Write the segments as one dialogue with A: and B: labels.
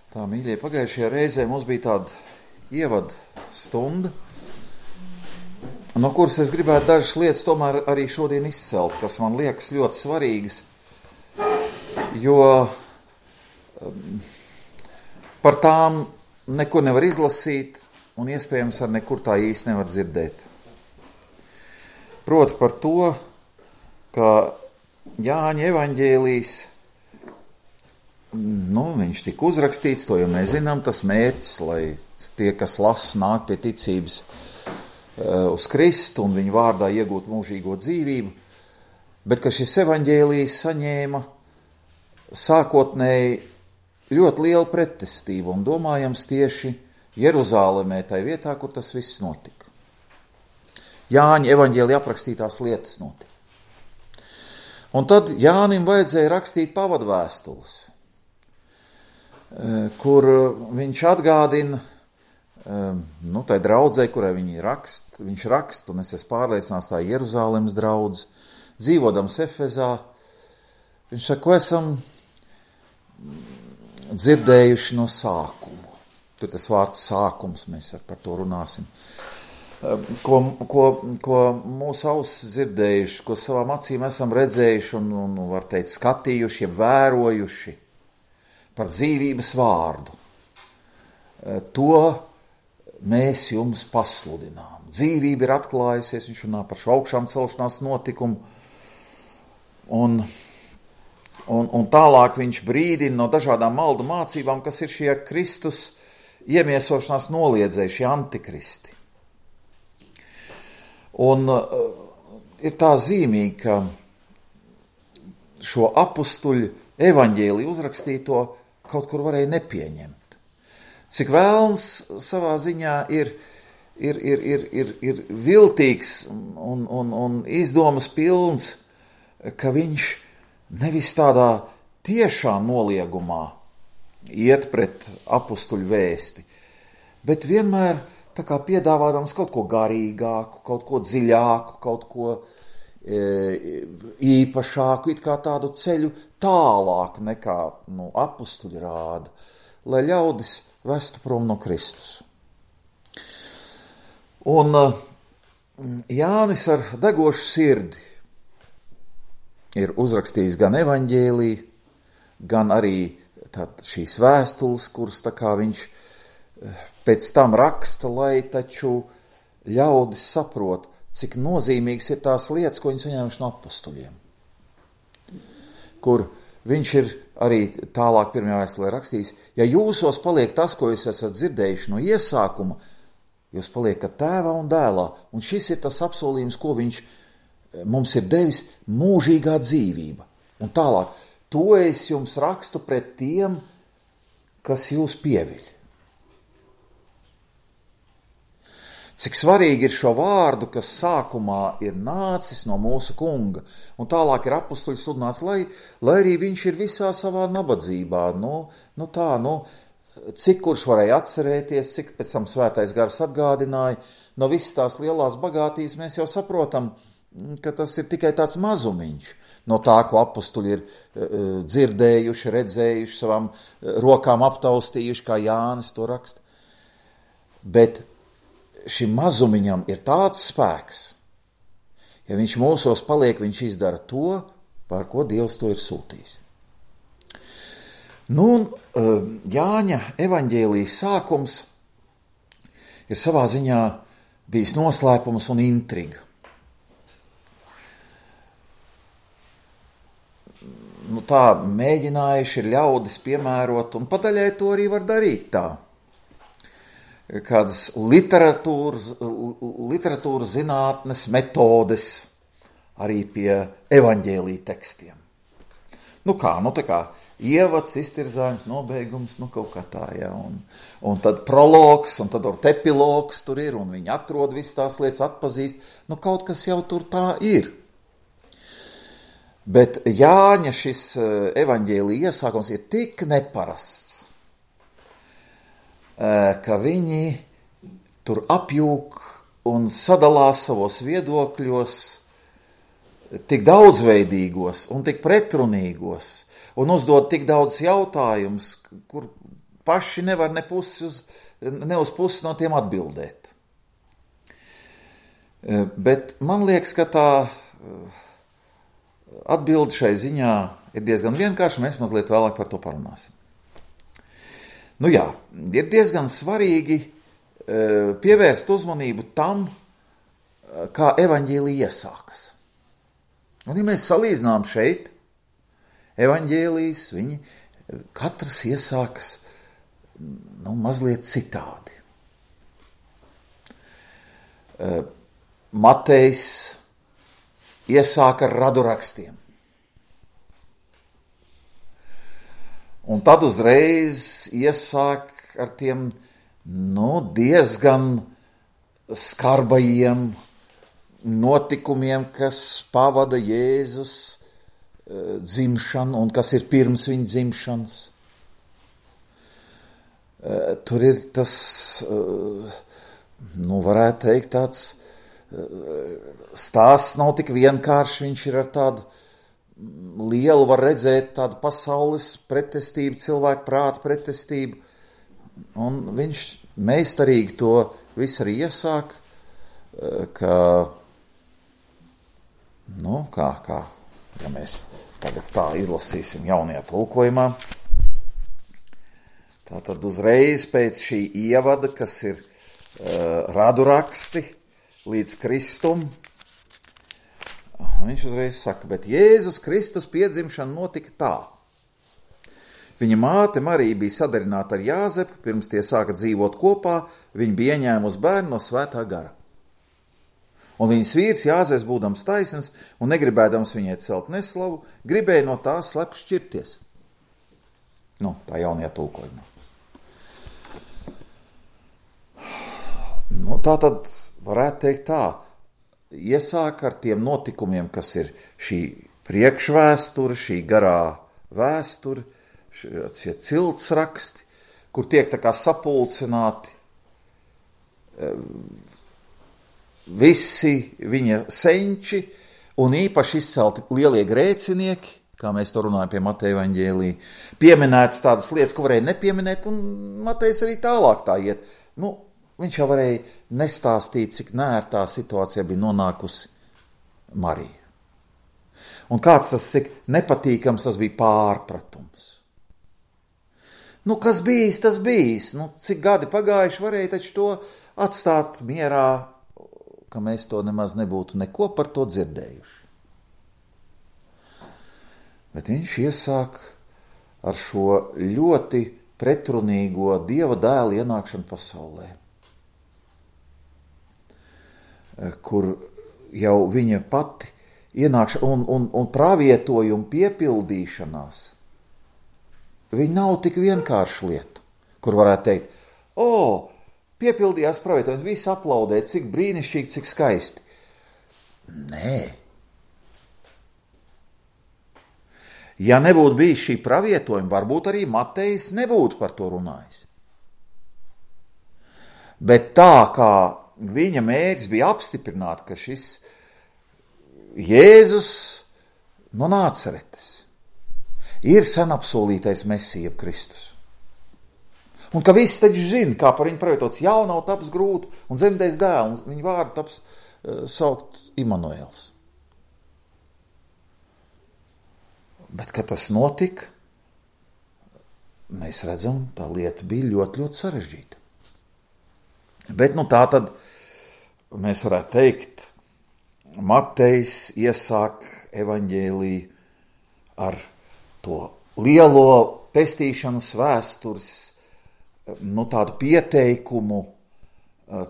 A: Tā, mīļie, pagājušajā reizē mums bija tāda ievada stunda, no kuras es gribētu dažas lietas tomēr arī šodien izcelt, kas man liekas ļoti svarīgas, jo par tām nekur nevar izlasīt un iespējams ar nekur tā īsti nevar dzirdēt. Proti par to, ka Jāņa evaņģēlijs, viņš tika uzrakstīts, to jau mēs zinām, tas mērķis, lai tie, kas lasa, nāk pie ticības uz Kristu un viņu vārdā iegūt mūžīgo dzīvību, bet ka šis evaņģēlijs saņēma sākotnēji ļoti lielu pretestību un domājams tieši Jeruzālemē, tai vietā, kur tas viss notika. Jāņa evaņģēlijā aprakstītās lietas notika. Un tad Jānim vajadzēja rakstīt pavadvēstules, kur viņš atgādina, tai draudzei, kurai viņš raksta, un es esmu pārliecināts, tā Jeruzālemes draudze, dzīvodams Efezā, viņš saka, ko esam dzirdējuši no sākuma. Tur tas vārds sākums, mēs par to runāsim. Ko mūsu ausis dzirdējuši, ko savām acīm esam redzējuši un var teikt, skatījuši, jeb vērojuši par dzīvības vārdu. To mēs jums pasludinām. Dzīvība ir atklājusies, viņš runā par šo augšām celšanās notikumu, un tālāk viņš brīdina no dažādām maldu mācībām, kas ir šie Kristus iemiesošanās noliedzēji, šie antikristi. Un ir tā zīmīgi, ka šo apustuļu evaņģēliju uzrakstīto kaut kur varēja nepieņemt. Cik vēlns savā ziņā ir viltīgs un izdomas pilns, ka viņš nevis tādā tiešā noliegumā iet pret apustuļu vēsti, bet vienmēr tā kā piedāvādams kaut ko garīgāku, kaut ko dziļāku, kaut ko īpašāku, it kā tādu ceļu tālāk nekā apustuļi rāda, lai ļaudis vestu prom no Kristus. Un Jānis ar degošu sirdi ir uzrakstījis gan evaņģēliju, gan arī šīs vēstules, kuras tā kā viņš pēc tam raksta, lai taču ļaudis saprot, cik nozīmīgas ir tās lietas, ko viņi saņēmuši no apustuļiem. Kur viņš ir arī tālāk pirmajā vēstulē rakstījis, ja jūsos paliek tas, ko jūs esat dzirdējuši no iesākuma, jūs paliekat tēvā un dēlā. Un šis ir tas apsolījums, ko viņš mums ir devis, mūžīgā dzīvība. Un tālāk, to es jums rakstu pret tiem, kas jūs pieviļ. Cik svarīgi ir šo vārdu, kas sākumā ir nācis no mūsu kunga, un tālāk ir apustuļu sludināts, lai arī viņš ir visā savā nabadzībā. Cik kurš varēja atcerēties, cik pēc tam svētais gars atgādināja, no visas tās lielās bagātības mēs jau saprotam, ka tas ir tikai tāds mazumiņš no tā, ko apustuļi ir dzirdējuši, redzējuši, savām rokām aptaustījuši, kā Jānis to raksta. Bet šim mazumiņam ir tāds spēks, ja viņš mūsos paliek, viņš izdara to, par ko Dievs to ir sūtījis. Jāņa evaņģēlijas sākums ir savā ziņā bijis noslēpums un intriga. Tā mēģinājuši ir ļaudis piemērot, un padaļai to arī var darīt tā. Kādas literatūras zinātnes metodes arī pie evaņģēlija tekstiem. Tā kā ievads, iztirzājums, nobeigums, kaut kā tā, ja, un tad prologs, un tad epilogs tur ir, un viņi atrod visas tās lietas, atpazīst, kaut kas jau tur tā ir. Bet Jāņa šis evaņģēlija iesākums ir tik neparasts, ka viņi tur apjūk un sadalās savos viedokļos tik daudzveidīgos un tik pretrunīgos un uzdod tik daudz jautājumus, kur paši nevar ne uz pusi no tiem atbildēt. Bet man liekas, ka tā atbilde šai ziņā ir diezgan vienkārša, mēs mazliet vēlāk par to parunāsim. Nu jā, ir diezgan svarīgi pievērst uzmanību tam, kā evaņģēlija iesākas. Un ja mēs salīdzinām šeit, evaņģēlijas, viņi katrs iesākas mazliet citādi. Matejs iesāka ar radurakstiem. Un tad uzreiz iesāk ar tiem diezgan skarbajiem notikumiem, kas pavada Jēzus dzimšanu un kas ir pirms viņa dzimšanas. Tur ir tas, varētu teikt, tāds stāsts nav tik vienkārši, viņš ir ar tādu lielu, var redzēt tādu pasaules pretestību, cilvēku prāta pretestību, un viņš meistarīgi to visu arī iesāk, ja mēs tagad tā izlasīsim jaunajā tulkojumā, tātad uzreiz pēc šī ievada, kas ir raduraksti līdz Kristum, viņš uzreiz saka, bet Jēzus Kristus piedzimšana notika tā. Viņa māte Marija bija sadarināta ar Jāzepu, pirms tie sāka dzīvot kopā, viņa bija ieņēmusi bērnu no Svētā gara. Un viņas vīrs Jāzeps, būdams taisns un negribēdams viņai celt neslavu, gribēja no tā slepu šķirties. Tā jaunajā tulkojumā. Tā tad varētu teikt tā, iesāk ar tiem notikumiem, kas ir šī priekšvēsture, šī garā vēsture, šie ciltsraksti, kur tiek tā kā sapulcināti visi viņa senči un īpaši izcelti lielie grēcinieki, kā mēs to runājam pie Mateja evaņģēlija, pieminētas tādas lietas, ko varēja nepieminēt, un Matejs arī tālāk tā iet. Viņš jau varēja nestāstīt, cik nērtā situācijā bija nonākusi Marija. Un kāds tas, cik nepatīkams tas bija pārpratums. Kas bijis, tas bijis. Cik gadi pagājuši, varēja taču to atstāt mierā, ka mēs to nemaz nebūtu neko par to dzirdējuši. Bet viņš iesāk ar šo ļoti pretrunīgo Dieva dēla ienākšanu pasaulē, kur jau viņa pati ienākšana un pravietojuma piepildīšanās, viņa nav tik vienkārša lieta, kur varētu teikt, piepildījās pravietojums, visi aplaudē, cik brīnišķīgi, cik skaisti. Nē. Ja nebūtu bijis šī pravietojuma, varbūt arī Matejs nebūtu par to runājis. Bet tā kā viņa mērķis bija apstiprināt, ka šis Jēzus no Nāceretes ir sen apsolītais Mesija Kristus. Un ka visi taču zina, kā par viņu pravietots jaunau taps grūti un dzemdēs dēlu, un viņa vārdu taps saukt Imanuēls. Bet, kad tas notika, mēs redzam, tā lieta bija ļoti, ļoti sarežģīta. Bet tā tad mēs varētu teikt, Matejs iesāk evaņģēliju ar to lielo pestīšanas vēstures, tādu pieteikumu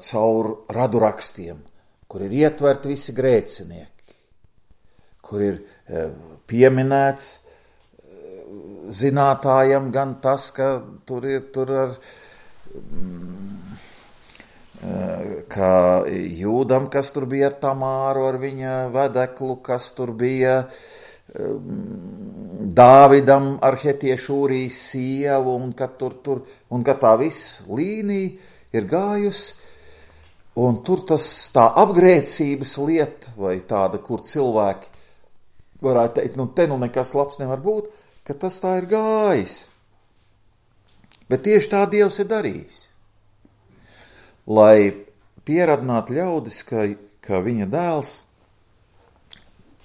A: caur radurakstiem, kur ir ietverti visi grēcinieki, kur ir pieminēts zinātājam gan tas, ka tur ar kā Jūdam, kas tur bija ar Tamāru, ar viņa vedeklu, kas tur bija Dāvidam ar hetiešu Ūrijas sievu, un ka tā viss līnija ir gājusi, un tur tā apgrēcības lieta, vai tāda, kur cilvēki varētu teikt, te nekas labs nevar būt, ka tas tā ir gājis. Bet tieši tā Dievs ir darījis. Lai pieradinātu ļaudis, ka viņa dēls,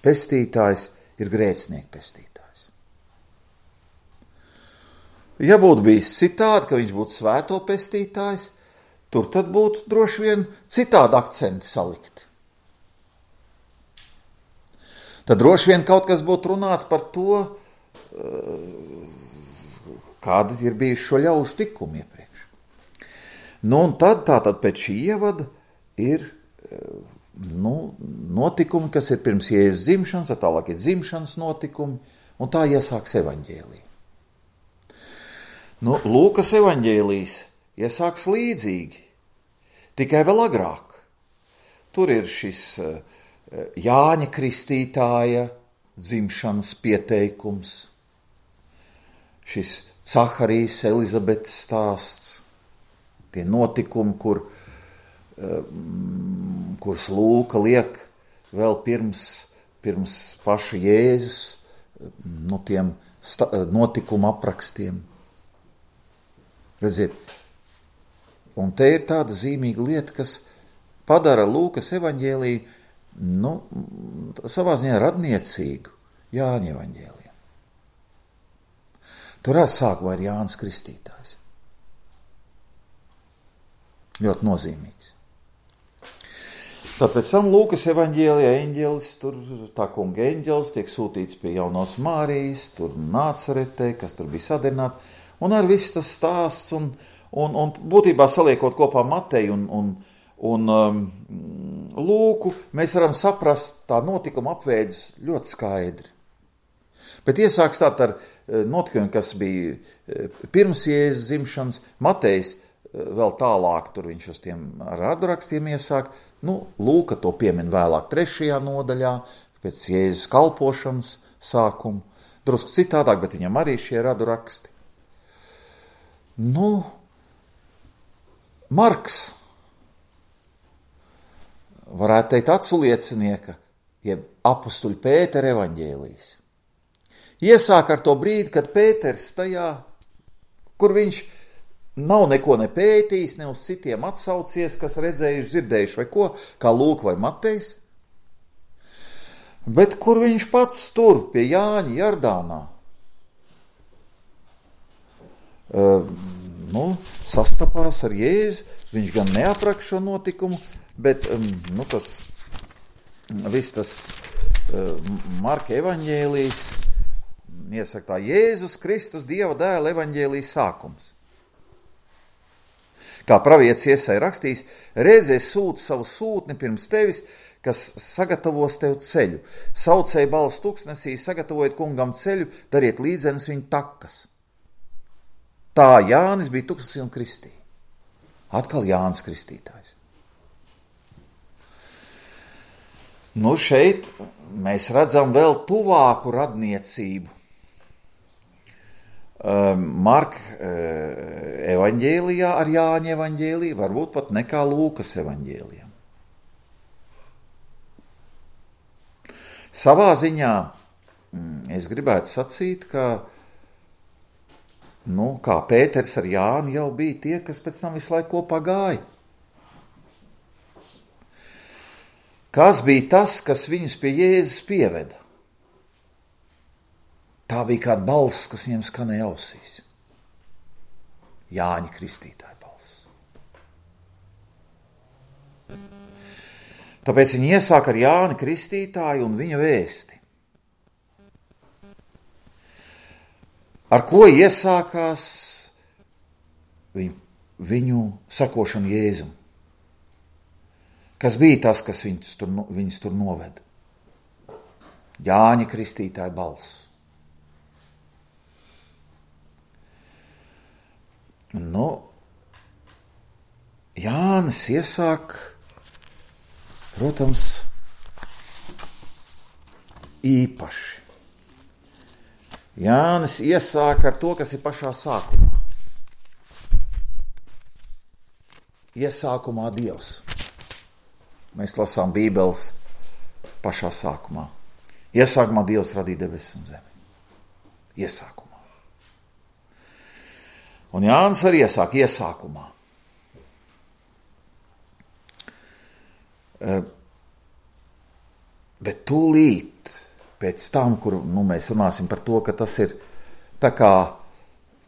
A: pestītājs, ir grēcinieku pestītājs. Ja būtu bijis citādi, ka viņš būtu svēto pestītājs, tur tad būtu droši vien citādi akcenti salikti. Tad droši vien kaut kas būtu runāts par to, kāda ir bijuši šo ļaužu tikumi iepriekš. Nu, un tad pēc šī ievada ir notikumi, kas ir pirms Jēzus dzimšanas, tālāk ir dzimšanas notikumi, un tā iesāks evaņģēlija. Lūkas evaņģēlijs iesāks līdzīgi, tikai vēl agrāk. Tur ir šis Jāņa Kristītāja dzimšanas pieteikums, šis Caharijas Elizabetes stāsts, tie notikumi, kurus Lūka liek vēl pirms paša Jēzus, tiem notikumu aprakstiem. Redziet, un te ir tāda zīmīga lieta, kas padara Lūkas evaņģēliju, savā ziņā radniecīgu Jāņa evaņģēliju. Tur ar sākumā ir Jānis Kristītājs. Ļoti nozīmīgs. Tad pēc tam Lūkas evaņģēlijā eņģelis, tur tā kunga eņģelis tiek sūtīts pie jaunās Mārijas, tur Nācaretē, kas tur bija sadarbināta, un ar viss tas stāsts, un būtībā saliekot kopā Mateju un Lūku, mēs varam saprast tā notikuma apveidus ļoti skaidri. Bet iesāks tā ar notikumiem, kas bija pirms Jēzus dzimšanas, Matejs vēl tālāk, tur viņš uz tiem radurakstiem iesāk, Lūka to piemin vēlāk 3. nodaļā, pēc Jēzus kalpošanas sākumu, drusku citādāk, bet viņam arī šie raduraksti. Marks, varētu teikt aculiecinieka, jeb apustuļa Pētera evaņģēlijs. Iesāk ar to brīdi, kad Pēters tajā, kur viņš nav neko nepētījis, ne uz citiem atsaucies, kas redzējuši, dzirdējuši vai ko, kā Lūka vai Matejs, bet kur viņš pats tur pie Jāņa Jardānā sastapās ar Jēzu. Viņš gan neapraksta šo notikumu, bet tas Marka evaņģēlijs iesaka tā Jēzus Kristus Dieva dēla evaņģēlijas sākums. Kā pravietis Jesaja rakstīs, redzi, es sūtu savu sūtni pirms tevis, kas sagatavos tev ceļu. Saucēja balss tuksnesī, sagatavojiet kungam ceļu, dariet līdzenes viņa takas. Tā Jānis bija tuksnesī un kristīja. Atkal Jānis Kristītājs. Šeit mēs redzam vēl tuvāku radniecību. Marka evaņģēlijā ar Jāņa evaņģēliju, varbūt pat nekā Lūkas evaņģēlijam. Savā ziņā es gribētu sacīt, ka kā Pēters ar Jāni jau bija tie, kas pēc tam visu laiku kopā gāja. Kas bija tas, kas viņus pie Jēzus pieveda? Tā bija kāda balss, kas viņiem skanēja ausīs. Jāņa Kristītāja balss. Tāpēc viņi iesāk ar Jāni Kristītāju un viņa vēsti. Ar ko iesākās viņu sekošana Jēzum? Kas bija tas, kas viņus tur noveda? Jāņa Kristītāja balss. Jānis iesāk, protams, īpaši. Jānis iesāk ar to, kas ir pašā sākumā. Iesākumā Dievs. Mēs lasām Bībeles pašā sākumā. Iesākumā Dievs radīja debesis un zemi. Iesākumā. Un Jānis arī iesāk iesākumā. Bet tūlīt pēc tam, kur mēs runāsim par to, ka tas ir tā kā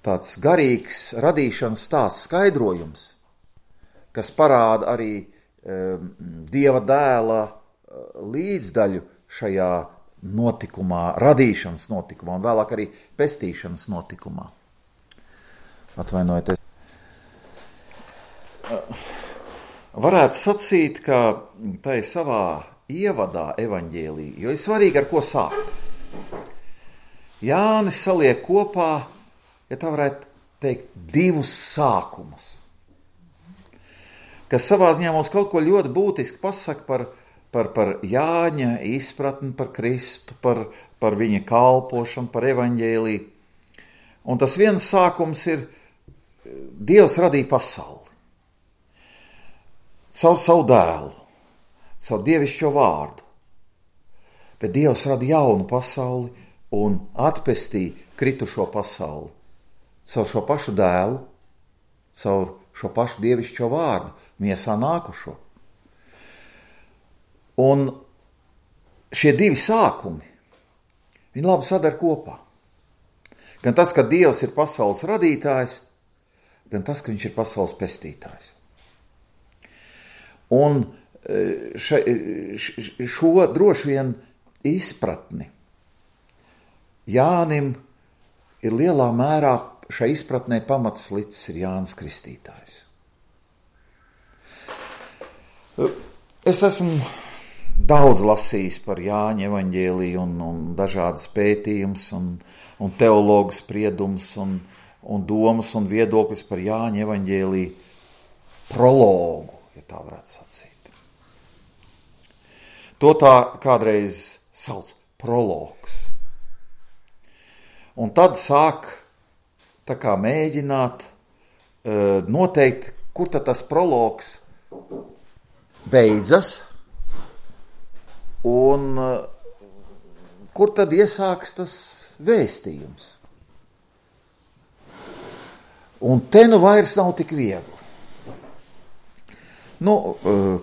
A: tāds garīgs radīšanas stāsts skaidrojums, kas parāda arī Dieva dēla līdzdaļu šajā notikumā, radīšanas notikumā un vēlāk arī pestīšanas notikumā. Atvainojiet. Varētu sacīt, ka tai savā ievadā evaņģēlī, jo ir svarīgi, ar ko sākt. Jānis saliek kopā, ja tā varētu teikt, divus sākumus, kas savā ziņā mums kaut ko ļoti būtiski pasaka par Jāņa izpratni, par Kristu, par viņa kalpošanu, par evaņģēlī. Un tas viens sākums ir, Dievs radīja pasauli. Caur savu dēlu, caur dievišķo vārdu. Bet Dievs rada jaunu pasauli un atpestīja kritušo pasauli. Caur šo pašu dēlu, caur šo pašu dievišķo vārdu, miesā nākušo. Un šie divi sākumi, viņi labi sadar kopā. Gan tas, ka Dievs ir pasaules radītājs, gan tas, ka viņš ir pasaules pestītājs. Un šo droši vien izpratni Jānim ir lielā mērā šai izpratnē pamats licis ir Jānis Kristītājs. Es esmu daudz lasījis par Jāņa evaņģēliju un dažādas pētījumus un teologu spriedumus un domas un viedokļus par Jāņa evaņģēliju prologu, ja tā varētu sacīt. To tā kādreiz sauc prologs. Un tad sāk tā kā mēģināt noteikt, kur tad tas prologs beidzas un kur tad iesāks tas vēstījums. Un te nu vairs nav tik viegli.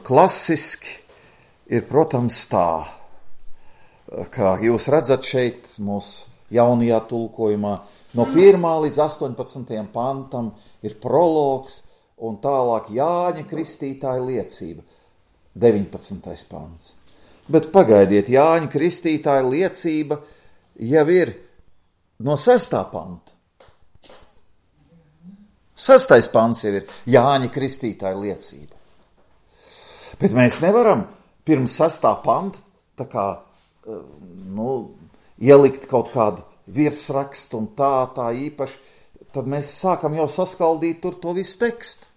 A: Klasiski ir, protams, tā, kā jūs redzat šeit mūsu jaunajā tulkojumā, no 1. līdz 18. pantam ir prologs un tālāk Jāņa Kristītāja liecība, 19. pants. Bet pagaidiet, Jāņa Kristītāja liecība jau ir no 6. panta. 6. pants jau ir Jāņa Kristītāja liecība. Bet mēs nevaram pirms 6. panta tā kā, ielikt kaut kādu virsrakstu un tā īpaši, tad mēs sākam jau saskaldīt tur to visu tekstu.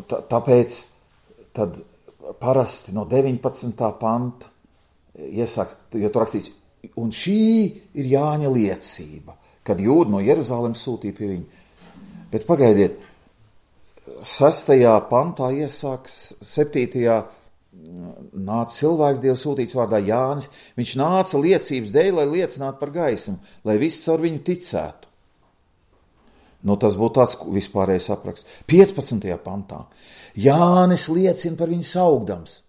A: Tāpēc tad parasti no 19. panta iesāks, jo tur rakstīts, un šī ir Jāņa liecība, kad jūdi no Jeruzalemes sūtīja pie viņa. Bet pagaidiet, 6. pantā iesāks 7. nāca cilvēks Dievu sūtīts vārdā Jānis. Viņš nāca liecības dēļ, lai liecinātu par gaismu, lai viss caur viņu ticētu. Tas būtu tāds vispārējais apraksts. 15. pantā. Jānis liecina par viņu saugdams.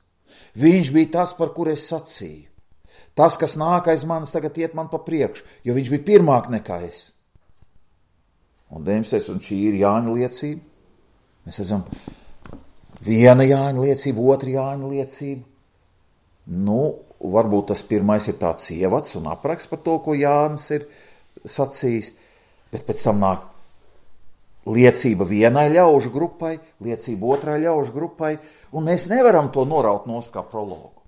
A: Viņš bija tas, par kur es sacīju. Tas, kas nāk aiz manis, tagad iet man pa priekšu, jo viņš bija pirmāk nekā es. Un 19. un šī ir Jāņa liecība. Mēs esam viena Jāņa liecība, otra Jāņa liecība. Varbūt tas pirmais ir tāds ievads un apraksts par to, ko Jānis ir sacījis, bet pēc tam nāk liecība vienai ļaužu grupai, liecība otrai ļaužu grupai, un mēs nevaram to noraut nost kā prologu.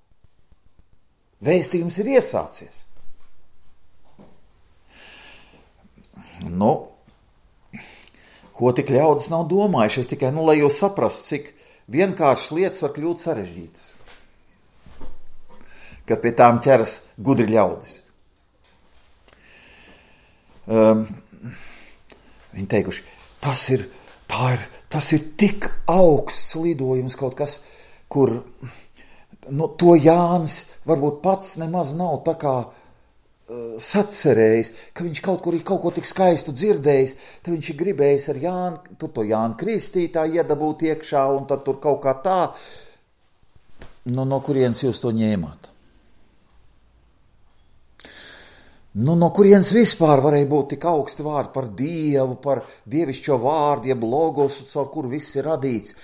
A: Vēstījums ir iesācies. Ko tik ļaudis nav domājuši, es tikai, lai jūs saprastu, cik vienkāršas lietas var kļūt sarežģītas, kad pie tām ķeras gudri ļaudis. Viņi teikuši, tas ir tik augsts lidojums kaut kas, kur to Jānis varbūt pats nemaz nav tā kā sacerējis, ka viņš kaut ko tik skaistu dzirdējis, tad viņš ir gribējis ar tur to Jānu Kristītāju iedabūt iekšā, un tad tur kaut kā tā. No kurienes jūs to ņēmāt? No kurienes vispār varēja būt tik augsti vārdi par Dievu, par dievišķo vārdu, jeb logosu, caur kuru viss ir radīts?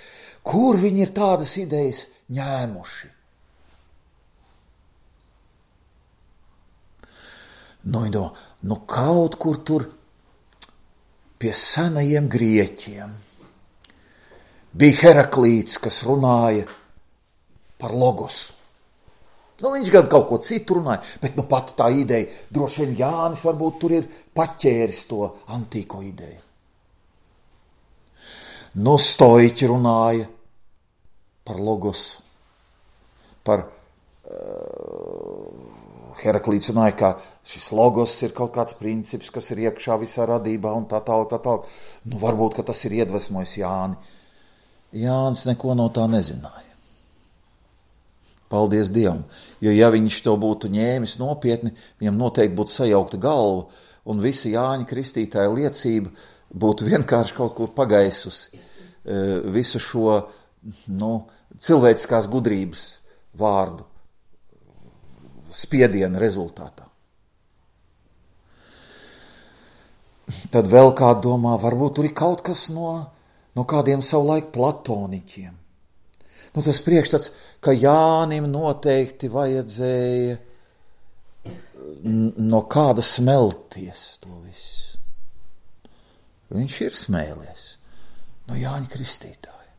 A: Kur viņi ir tādas idejas ņēmuši? Kaut kur tur pie senajiem grieķiem bija Heraklīts, kas runāja par logosu. Viņš gan kaut ko citu runāja, bet pati tā ideja, droši vien Jānis varbūt tur ir paķēris to antīko ideju. Stoiķi runāja par logosu, par Heraklīts runāja, ka šis logos ir kaut kāds princips, kas ir iekšā visā radībā un tā tālāk. Varbūt, ka tas ir iedvesmojis Jāni. Jānis neko no tā nezināja. Paldies Dievam, jo ja viņš to būtu ņēmis nopietni, viņam noteikti būtu sajaukta galva, un visa Jāņa Kristītāja liecība būtu vienkārši kaut kur pagaisusi visu šo cilvēciskās gudrības vārdu spiediena rezultātā. Tad vēl kāds domā, varbūt tur ir kaut kas no kādiem savulaik platoniķiem. Tas priekšstats, ka Jānim noteikti vajadzēja no kāda smelties to visu. Viņš ir smēlies no Jāņa Kristītāja.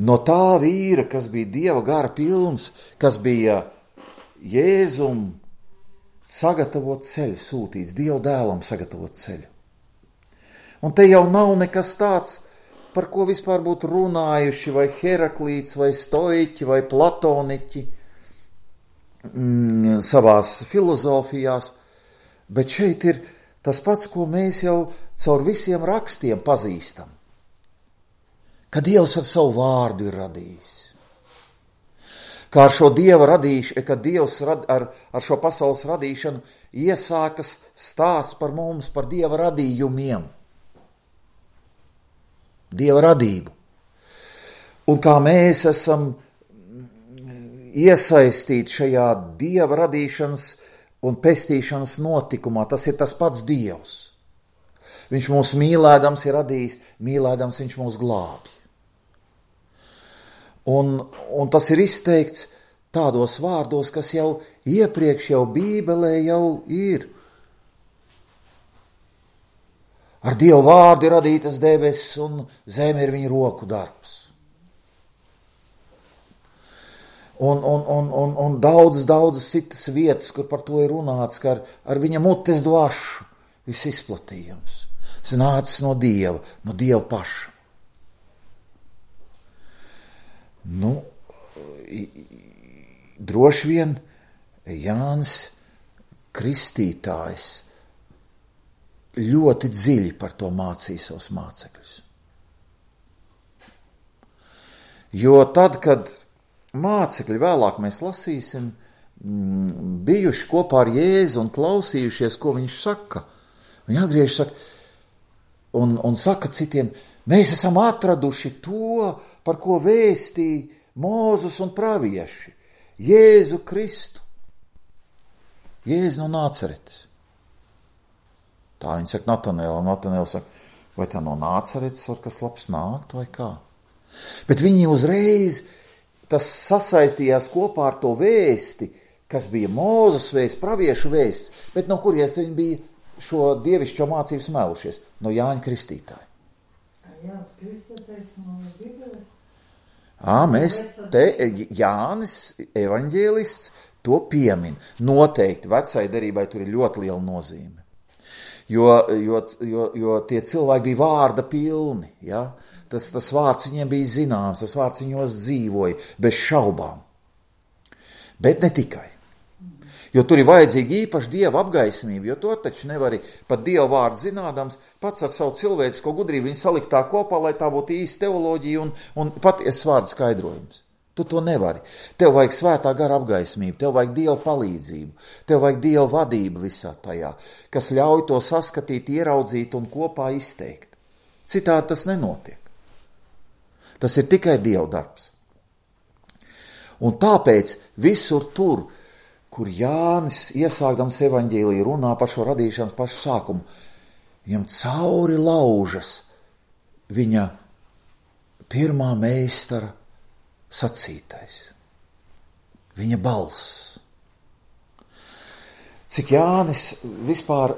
A: No tā vīra, kas bija Dieva gara pilns, kas bija Jēzum sagatavot ceļu sūtīts, Dieva dēlam sagatavot ceļu. Un te jau nav nekas tāds, par ko vispār būtu runājuši vai Heraklīts, vai stoiķi, vai platoniķi savās filozofijās, bet šeit ir tas pats, ko mēs jau caur visiem rakstiem pazīstam, ka Dievs ar savu vārdu ir radījis. Kā ar šo Dieva radīšanu, kad Dievs ar šo pasaules radīšanu iesākas stāsts par mums, par Dieva radījumiem. Dieva radību. Un kā mēs esam iesaistīti šajā Dieva radīšanas un pestīšanas notikumā, tas ir tas pats Dievs. Viņš mūs mīlēdams ir radījis, mīlēdams viņš mūs glābj. Un tas ir izteikts tādos vārdos, kas jau iepriekš jau Bībelē jau ir. Ar Dievu vārdu ir radītas debesis un zeme ir viņa roku darbs. Un daudzas citas vietas, kur par to ir runāts, ka ar viņa mutes dvašu viss izplatījums. Tas nācis no Dieva paša. Droši vien Jānis Kristītājs ļoti dziļi par to mācīja savus mācekļus. Jo tad, kad mācekļi vēlāk mēs lasīsim, bijuši kopā ar Jēzu un klausījušies, ko viņš saka, viņi atgriežas saka, un saka citiem, mēs esam atraduši to, par ko vēstīja Mūzes un pravieši, Jēzu Kristu, Jēzu no Nācaretes. Tā viņi saka Natanēlam, Natanēls saka, vai tā no Nācaretes var kas labs nākt vai kā? Bet viņi uzreiz, tas sasaistījās kopā ar to vēsti, kas bija Mūzes vēsts, praviešu vēsts, bet no kuries viņi bija šo dievišķo mācību smēlušies? No Jāņa Kristītāja.
B: Jānis Kristītājs no Bībeles?
A: Mēs te Jānis evaņģēlists to piemin. Noteikti vecai derībai tur ir ļoti liela nozīme. Jo tie cilvēki bija vārda pilni, ja? Tas vārds viņiem bija zināms, tas vārds viņos dzīvoja, bez šaubām. Bet ne tikai. Jo tur ir vajadzīga īpaši Dieva apgaismība, jo to taču nevari pat Dieva vārdu zinādams, pats ar savu cilvēcisko gudrību viņu salikt tā kopā, lai tā būtu īsta teoloģija un patiesas vārdu skaidrojums. Tu to nevari. Tev vajag svētā gara apgaismību, tev vajag Dieva palīdzību, tev vajag Dieva vadību visā tajā, kas ļauj to saskatīt, ieraudzīt un kopā izteikt. Citādi tas nenotiek. Tas ir tikai Dieva darbs. Un tāpēc visur tur, kur Jānis iesākdams evaņģēliju runā par šo radīšanas pašu sākumu, viņam cauri laužas viņa pirmā meistara sacītais, viņa balss. Cik Jānis vispār,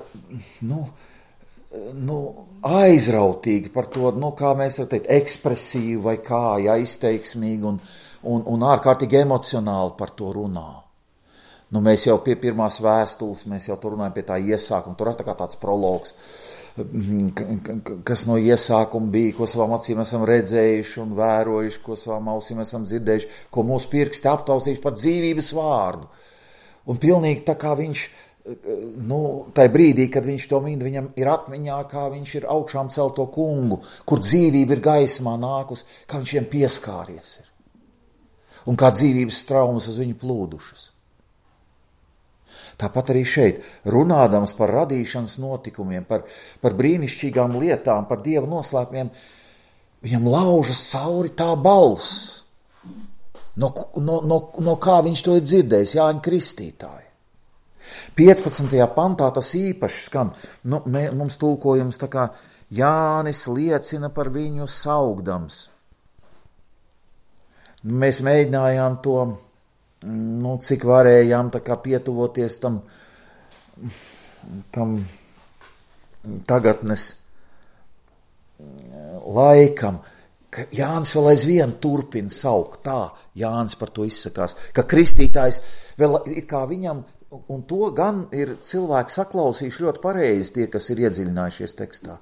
A: aizrautīgi par to, kā mēs varam teikt, ekspresīvi vai kā, izteiksmīgi un ārkārtīgi emocionāli par to runā. Mēs jau pie pirmās vēstules, mēs jau tur runājam pie tā iesākuma, tur ir tā kā tāds prologs, kas no iesākuma bija, ko savām acīm esam redzējuši un vērojuši, ko savām ausīm esam dzirdējuši, ko mūsu pirksti aptaustījuši par dzīvības vārdu. Un pilnīgi tā kā viņš, tai brīdī, kad viņš to min, viņam ir atmiņā, kā viņš ir augšām celto kungu, kur dzīvība ir gaismā nākus, kā viņš viņam pieskāries ir. Un kā dzīvības traumas uz viņu plūdušas. Tāpat arī šeit, runādams par radīšanas notikumiem, par brīnišķīgām lietām, par Dieva noslēpumiem, viņam laužas cauri tā balss, no kā viņš to ir dzirdējis, Jāņa Kristītāja. 15. pantā tas īpaši skan, mums tulkojums tā kā Jānis liecina par viņu saugdams. Mēs mēģinājām to, cik varējām tā kā pietuvoties tam tagadnes laikam, ka Jānis vēl aizvien turpina saukt, tā Jānis par to izsakās, ka kristītājs vēl it kā viņam, un to gan ir cilvēki saklausījuši ļoti pareizi tie, kas ir iedziļinājušies tekstā,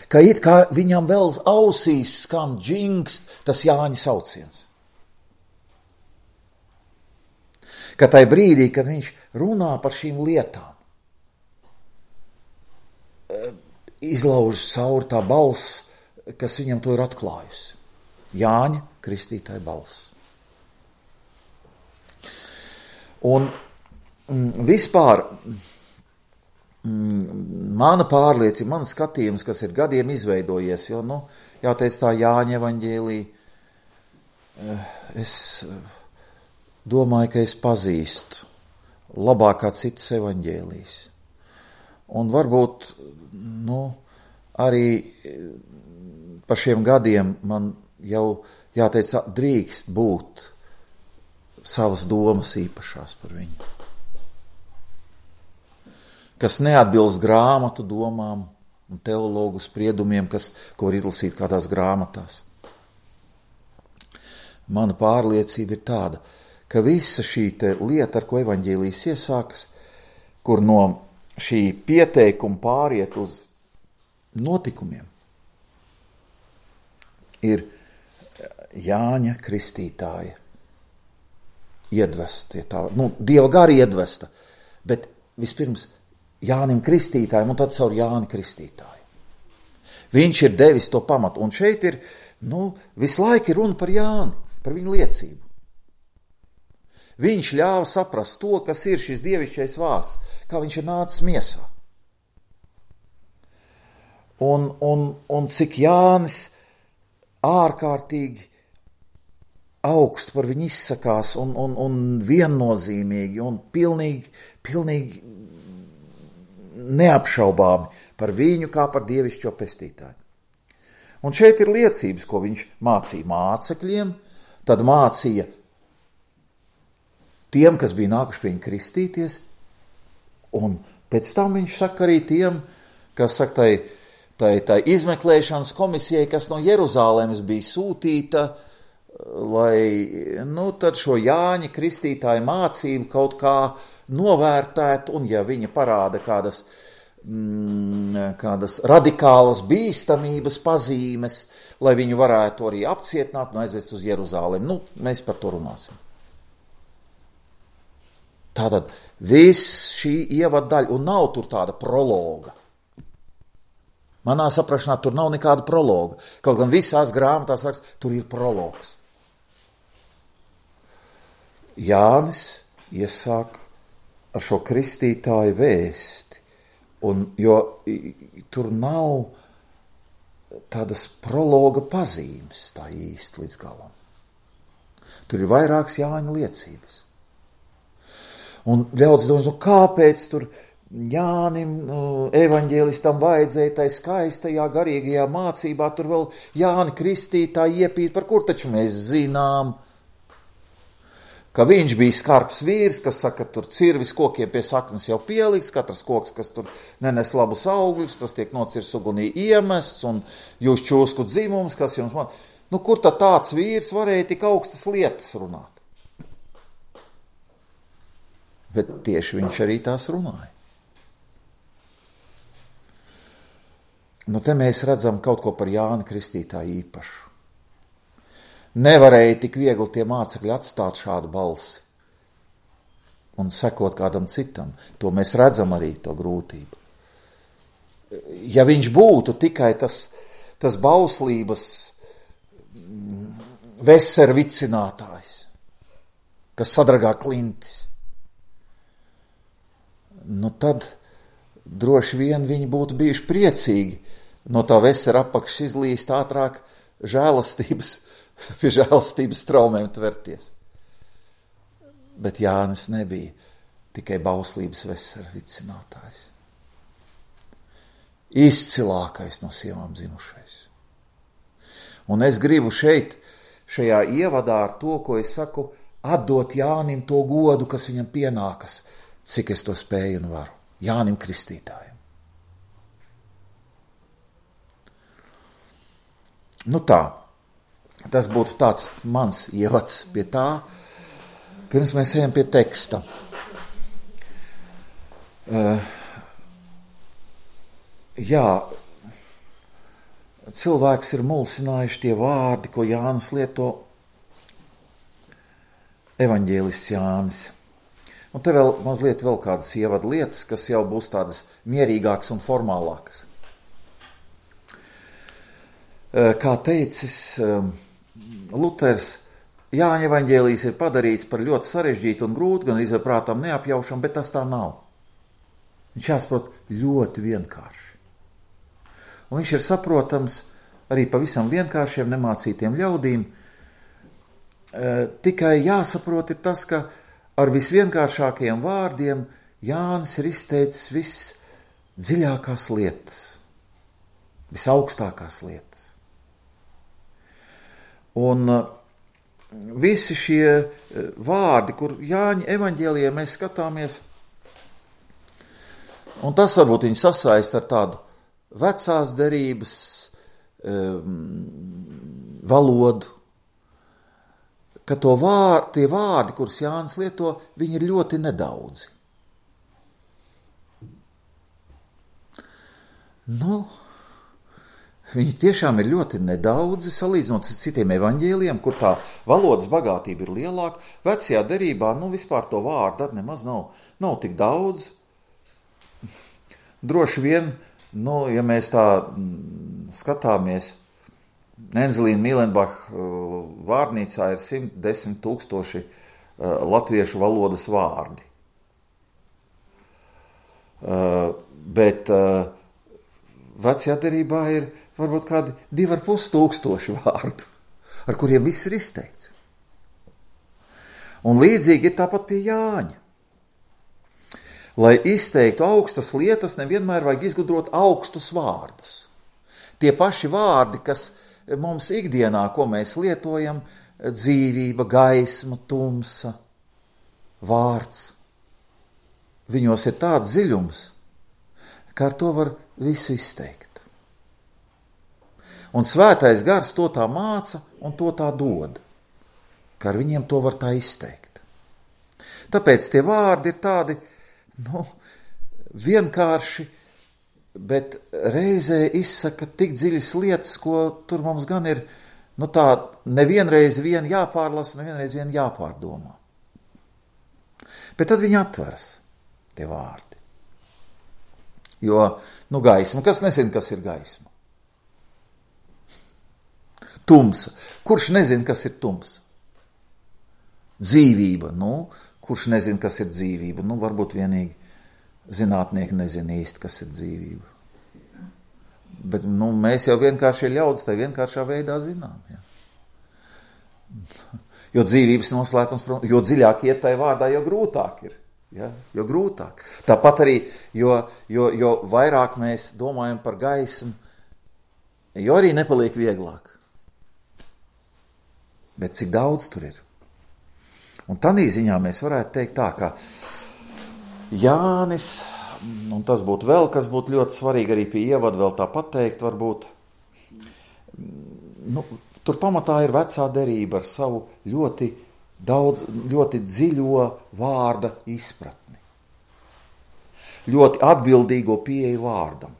A: ka it kā viņam vēl ausīs skan džingst tas Jāņa sauciens. Ka tai brīdī, kad viņš runā par šīm lietām, izlaužas cauri tā balss, kas viņam to ir atklājusi. Jāņa Kristītāja balss. Un vispār mana pārliecība, mans skatījums, kas ir gadiem izveidojies, jo, jāteic tā Jāņa evaņģēlī, es domāju, ka es pazīstu labāk kā citus evaņģēlijas. Un varbūt, arī par šiem gadiem man jau, jāteic, drīkst būt savas domas īpašās par viņu. Kas neatbilst grāmatu domām un teologu spriedumiem, ko var izlasīt kādās grāmatās. Mana pārliecība ir tāda, ka visa šī lieta, ar ko evaņģēlijas iesākas, kur no šī pieteikuma pāriet uz notikumiem, ir Jāņa Kristītāja iedvesta, Dieva gara iedvesta, bet vispirms Jānim Kristītājam un tad caur Jāni Kristītāju. Viņš ir devis to pamatu, un šeit ir, visu laiku ir runa par Jāni, par viņu liecību. Viņš ļāva saprast to, kas ir šis dievišķais vārds, kā viņš ir nācis miesā. Un cik Jānis ārkārtīgi augstu par viņu izsakās un viennozīmīgi un pilnīgi neapšaubāmi par viņu kā par dievišķo pestītāju. Un šeit ir liecības, ko viņš mācīja mācekļiem, tad mācīja tiem, kas bija nākuši pie viņa kristīties, un pēc tam viņš saka arī tiem, kas saka tai izmeklēšanas komisijai, kas no Jeruzālēmas bija sūtīta, lai, tad šo Jāņa Kristītāja mācību kaut kā novērtēt, un ja viņa parāda kādas radikālas bīstamības pazīmes, lai viņu varētu arī apcietināt un aizvest uz Jeruzālēm. Mēs par to runāsim. Tātad viss šī ievaddaļa, un nav tur tāda prologa. Manā saprašanā tur nav nekāda prologa. Kaut gan visās grāmatās raksts, tur ir prologs. Jānis iesāk ar šo kristītāju vēsti, jo tur nav tādas prologa pazīmes tā īsti līdz galam. Tur ir vairākas Jāņa liecības. Un ļaudis domās, kāpēc tur Jānim, evaņģēlistam vajadzēja tai skaistajā garīgajā mācībā, tur vēl Jāni kristītāji iepīt, par kur taču mēs zinām, ka viņš bija skarbs vīrs, kas saka, tur cirvis kokiem pie saknes jau pielikts, katrs koks, kas tur nenes labus augļus, tas tiek nocirs ugunī iemests, un jūs čūsku dzimums, kas jums man... Nu, kur tad tāds vīrs varēja tik augstas lietas runāt? Bet tieši viņš arī tās runāja. Nu, te mēs redzam kaut ko par Jāni Kristītāju īpašu. Nevarēja tik viegli tie mācekļi atstāt šādu balsi un sekot kādam citam. To mēs redzam arī, to grūtību. Ja viņš būtu tikai tas bauslības veservicinātājs, kas sadragā klintis, nu tad droši vien viņi būtu bijuši priecīgi no tā vesera apakšas izlīst ātrāk pie žēlastības traumēm tverties. Bet Jānis nebija tikai bauslības vesera vicinātājs. Izcilākais no sievām dzimušais. Un es gribu šajā ievadā ar to, ko es saku, atdot Jānim to godu, kas viņam pienākas, cik es to spēju un varu. Jānim Kristītājam. Nu tā, tas būtu tāds mans ievads pie tā, pirms mēs ejam pie teksta. Jā, cilvēks ir mulsinājuši tie vārdi, ko Jānis lieto, evaņģēlists Jānis. Un te vēl mazliet kādas ievada lietas, kas jau būs tādas mierīgākas un formālākas. Kā teicis Luters, Jāņa evaņģēlijs ir padarīts par ļoti sarežģītu un grūtu, gan arī prātām neapjaušam, bet tas tā nav. Viņš jāsaprot ļoti vienkārši. Un viņš ir saprotams arī pavisam vienkāršiem nemācītiem ļaudīm. Tikai jāsaprot ir tas, ka ar visvienkāršākajiem vārdiem Jānis ir izteicis visdziļākās lietas, visaugstākās lietas. Un visi šie vārdi, kur Jāņa evaņģēlijā mēs skatāmies, un tas varbūt viņi sasaist ar tādu vecās derības valodu, ka tie vārdi, kurus Jānis lieto, viņi ir ļoti nedaudzi. Nu, viņi tiešām ir ļoti nedaudzi, salīdzinot ar citiem evaņģēlijiem, kur tā valodas bagātība ir lielāka. Vecajā derībā, vispār to vārdu nemaz nav tik daudz. Droši vien, ja mēs tā skatāmies, Enzelīna Mīlenbacha vārnīcā ir 110 000 latviešu valodas vārdi. Bet vecajā derībā ir varbūt kādi 2500 vārdu, ar kuriem viss ir izteikts. Un līdzīgi ir tāpat pie Jāņa. Lai izteiktu augstas lietas, nevienmēr vajag izgudrot augstus vārdus. Tie paši vārdi, kas mums ikdienā, ko mēs lietojam, dzīvība, gaisma, tumsa, vārds, viņos ir tāds dziļums, ka ar to var visu izteikt. Un svētais gars to tā māca un to tā dod, ka ar viņiem to var tā izteikt. Tāpēc tie vārdi ir tādi, vienkārši, bet reizē izsaka tik dziļas lietas, ko tur mums gan ir, tā nevienreiz vien jāpārlasa, nevienreiz vien jāpārdomā. Bet tad viņi atveras, tie vārdi. Jo, gaisma, kas nezina, kas ir gaisma? Tumsa. Kurš nezina, kas ir tumsa? Dzīvība, kurš nezina, kas ir dzīvība? Varbūt vienīgi zinātnieki nezina īsti, kas ir dzīvība. Bet, mēs jau vienkārši ļaudis tai vienkāršā veidā zinām, ja. Jo dzīvības noslēpums, jo dziļāk iet tai vārdā, jo grūtāk ir, ja, jo grūtāk. Tāpat arī, jo vairāk mēs domājam par gaismu, jo arī nepaliek vieglāk. Bet cik daudz tur ir? Un tādā ziņā mēs varētu teikt tā, ka Jānis, un tas būtu vēl, kas būtu ļoti svarīgi arī pie ievada vēl tā pateikt, varbūt, tur pamatā ir vecā derība ar savu ļoti dziļo vārda izpratni. Ļoti atbildīgo pieeju vārdam.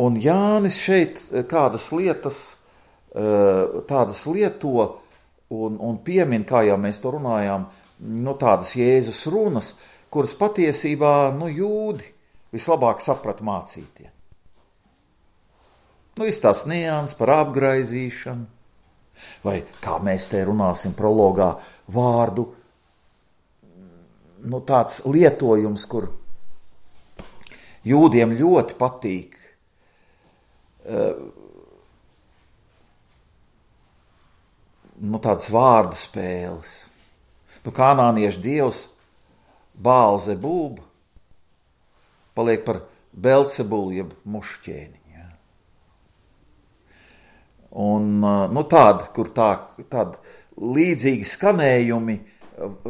A: Un Jānis šeit kādas lietas, tādas lieto un piemin, kā jau mēs to runājām, tādas Jēzus runas, kuras patiesībā, jūdi vislabāk saprata mācītie. Viss tās nians par apgraizīšanu, vai kā mēs te runāsim prologā, vārdu, tāds lietojums, kur jūdiem ļoti patīk tādas vārdu spēles. Kanāniešu dievs Bālzebūba paliek par Belcebulu, jeb mušķēni. Ja. Un kur tādi līdzīgi skanējumi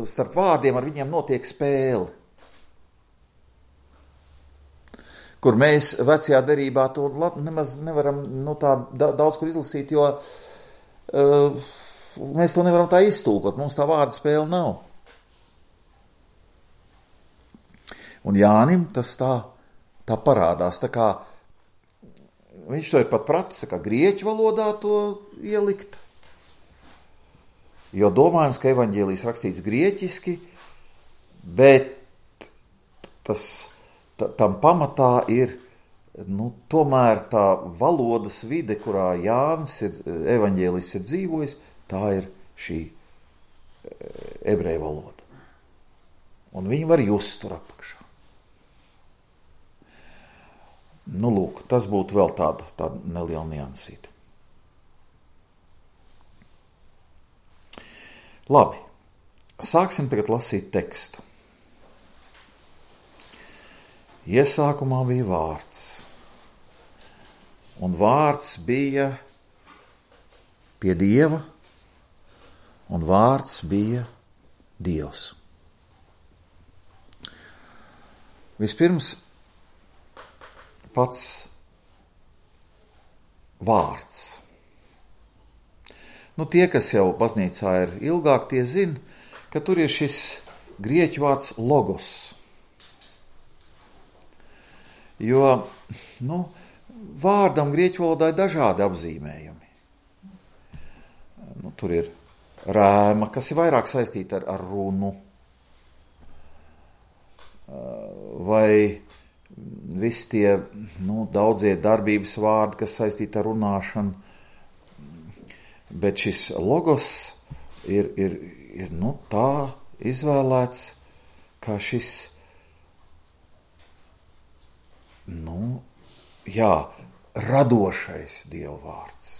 A: starp vārdiem ar viņiem notiek spēle. Kur mēs vecajā derībā to nemaz nevaram tā daudz kur izlasīt, jo mēs to nevaram tā iztulkot, mums tā vārda spēle nav. Un Jānim tas tā parādās, tā kā viņš to ir pat pratis, kā grieķu valodā to ielikt. Jo domājams, ka evaņģēlijs rakstīts grieķiski, bet tam pamatā ir tomēr tā valodas vide, kurā Jānis evaņģēlijs ir dzīvojis, tā ir šī ebreju valoda. Un viņi var just tur apakšā. Lūk, tas būtu vēl tāda neliela niansīta. Labi, sāksim tagad lasīt tekstu. Iesākumā bija vārds, un vārds bija pie Dieva, un vārds bija Dievs. Vispirms pats vārds. Tie, kas jau baznīcā ir ilgāk, tie zina, ka tur ir šis grieķu vārds logos. Jo, vārdam grieķu valodā ir dažādi apzīmējumi. Tur ir rēma, kas ir vairāk saistīta ar runu. Vai visi tie, daudzie darbības vārdi, kas saistīti ar runāšanu. Bet šis logos ir tā izvēlēts, kā šis, radošais Dieva vārds.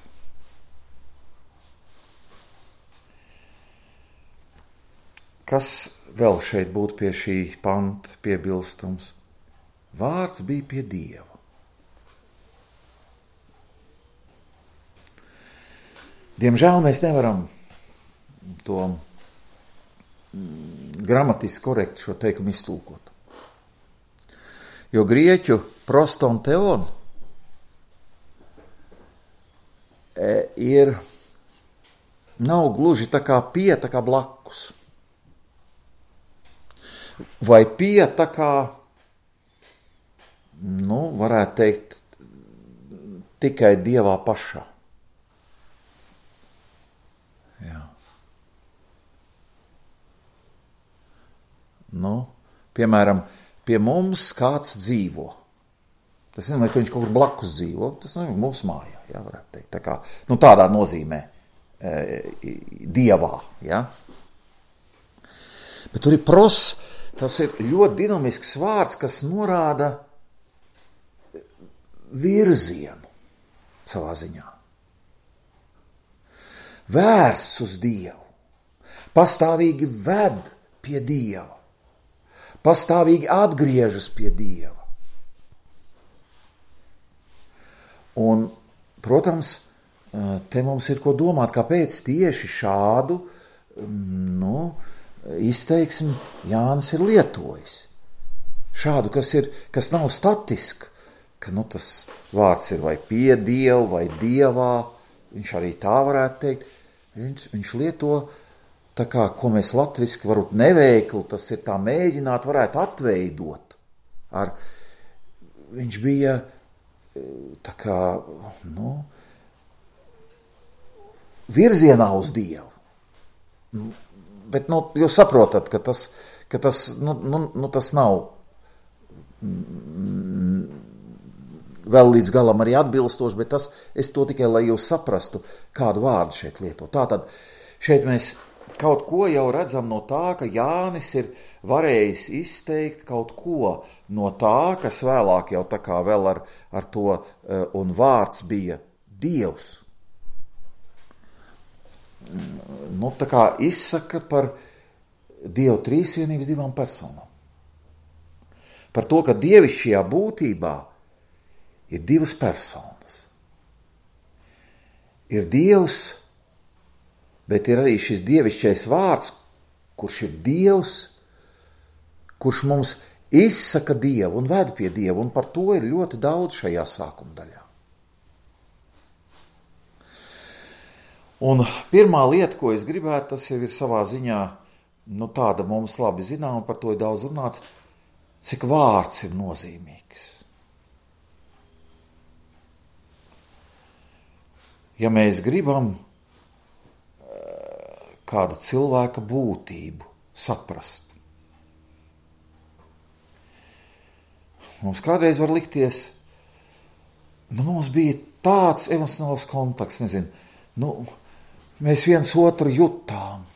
A: Kas vēl šeit būtu pie šī panta piebilstums? Vārds bija pie Dieva. Diemžēl mēs nevaram to gramatiski korekti šo teikumu iztulkot. Jo grieķu proston teon nav gluži tā kā pie, tā kā blakus. Vai pie tā kā, varētu teikt, tikai Dievā pašā. Jā. Piemēram, pie mums kāds dzīvo. Tas nezinu, ka viņš kaut kur blakus dzīvo, tas mūsu mājā, jā, varētu teikt. Tā kā, tādā nozīmē dievā, ja? Bet tur ir pros, tas ir ļoti dinamisks vārds, kas norāda virzienu savā ziņā. Vērsts uz Dievu, pastāvīgi ved pie Dieva, pastāvīgi atgriežas pie Dieva. Un, protams, te mums ir ko domāt, kāpēc tieši šādu izteiksmi Jānis ir lietojis. Šādu, kas nav statiski, ka tas vārds ir vai pie Dievu, vai Dievā, viņš arī tā varētu teikt. Viņš lieto tā kā, ko mēs latviski varbūt neveikli, tas ir tā mēģināt, varētu atveidot. Viņš bija tā kā, virzienā uz Dievu. Bet, jūs saprotat, ka tas nav vēl līdz galam arī atbilstoši, bet es to tikai, lai jūs saprastu, kādu vārdu šeit lieto. Tātad, šeit mēs kaut ko jau redzam no tā, ka Jānis ir varējis izteikt kaut ko no tā, kas vēlāk jau tā kā vēl ar to, un vārds bija Dievs. Tā kā izsaka par Dievu trīsvienības divām personām. Par to, ka dievišķajā būtībā ir divas personas. Ir Dievs, bet ir arī šis dievišķais vārds, kurš ir Dievs, kurš mums izsaka Dievu un ved pie Dievu, un par to ir ļoti daudz šajā sākuma daļā. Un pirmā lieta, ko es gribētu, tas jau ir savā ziņā, tāda mums labi zinām, un par to ir daudz runāts, cik vārds ir nozīmīgs. Ja mēs gribam kāda cilvēka būtību saprast, mums kādreiz var likties, mums bija tāds emocionāls kontakts, mēs viens otru jutām,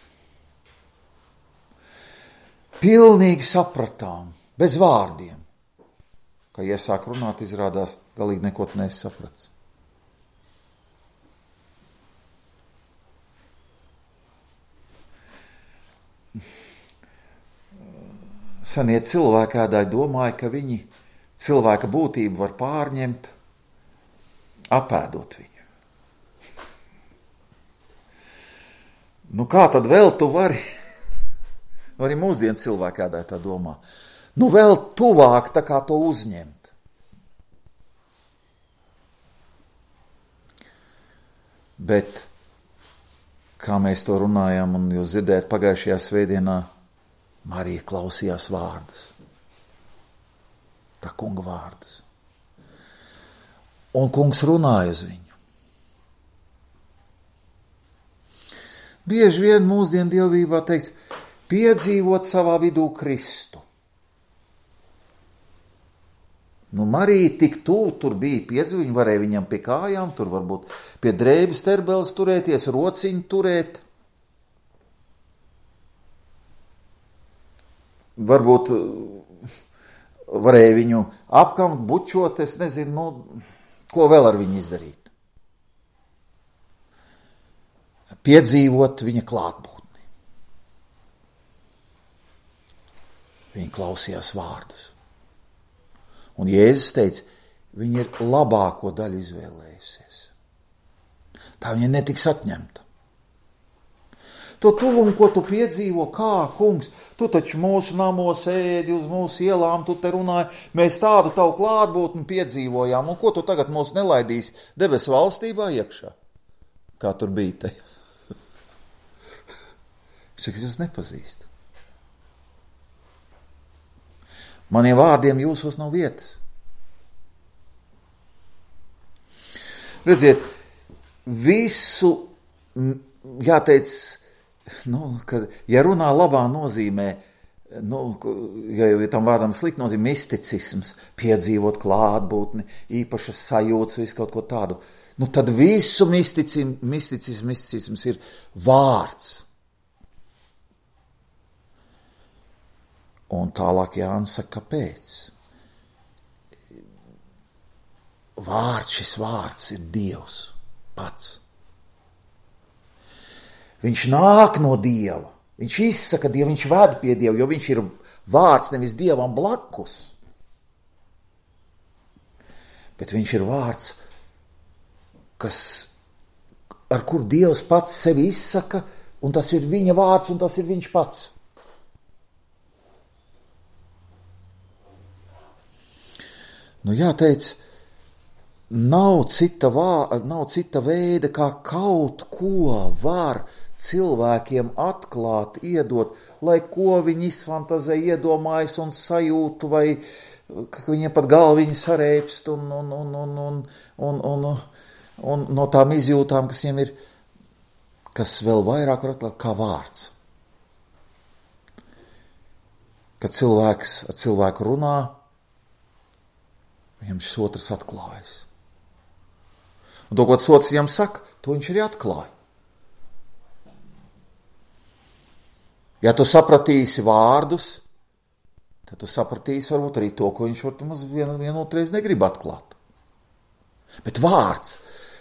A: pilnīgi sapratām, bez vārdiem. Kad iesāk runāt, izrādās, galīgi neko nesaprats. Senie cilvēkēdāji domāja, ka viņi cilvēka būtību var pārņemt, apēdot viņu. Kā tad vēl tu vari? Arī mūsdienu cilvēkēdāji tā domā. Vēl tuvāk tā kā to uzņemt. Bet, kā mēs to runājām, un jūs dzirdējat pagājušajā svētdienā, Marija klausījās vārdus. Tā kunga vārdus. Un kungs runāja uz viņu. Bieži vien mūsdienu dievībā teikts, piedzīvot savā vidū Kristu. Marija tik tuvu tur bija piedzīvot, viņa varēja viņam pie kājām, tur varbūt pie drēbes terbeles turēties, rociņu turēt. Varbūt varēja viņu apkamt, bučot, es nezinu, ko vēl ar viņu izdarīt. Piedzīvot viņa klātbūtni. Viņa klausījās vārdus. Un Jēzus teica, viņa ir labāko daļu izvēlējusies. Tā viņa netiks atņemta. To tuvumu, ko tu piedzīvo, kā, kungs, tu taču mūsu namos ēdi, uz mūsu ielām, tu te runāji, mēs tādu tavu klātbūtni piedzīvojām, un ko tu tagad mūs nelaidīsi debesu valstībā iekšā? Kā tur bija te? Saka, es nepazīstu. Maniem vārdiem jūsos nav vietas. Redziet, visu, jāteic, kad, ja runā labā nozīmē, ja tam vārdam slikt nozīmē misticisms, piedzīvot klātbūtni, īpašas sajūtas, visu kaut ko tādu, nu tad visu misticisms ir vārds. Un tālāk Jānis saka, kāpēc? Šis vārds ir Dievs pats. Viņš nāk no Dieva, viņš izsaka Dievu, viņš ved pie Dieva, jo viņš ir vārds nevis Dievam blakus, bet viņš ir vārds, ar kur Dievs pats sevi izsaka, un tas ir viņa vārds, un tas ir viņš pats. Nu jāteic, nav cita veida, kā kaut ko var cilvēkiem atklāt, iedot, lai ko viņi izfantazē, iedomājas un sajūtu, vai ka viņiem pat galviņi sareipst un no tām izjūtām, kas viņiem ir, kas vēl vairāk var atklāt kā vārds. Kad cilvēks ar cilvēku runā, viņam šis otrs atklājas. Un to, ko tas otrs viņam saka, to viņš arī atklāja. Ja tu sapratīsi vārdus, tad tu sapratīsi varbūt arī to, ko viņš varbūt vienotreiz negrib atklāt. Bet vārds,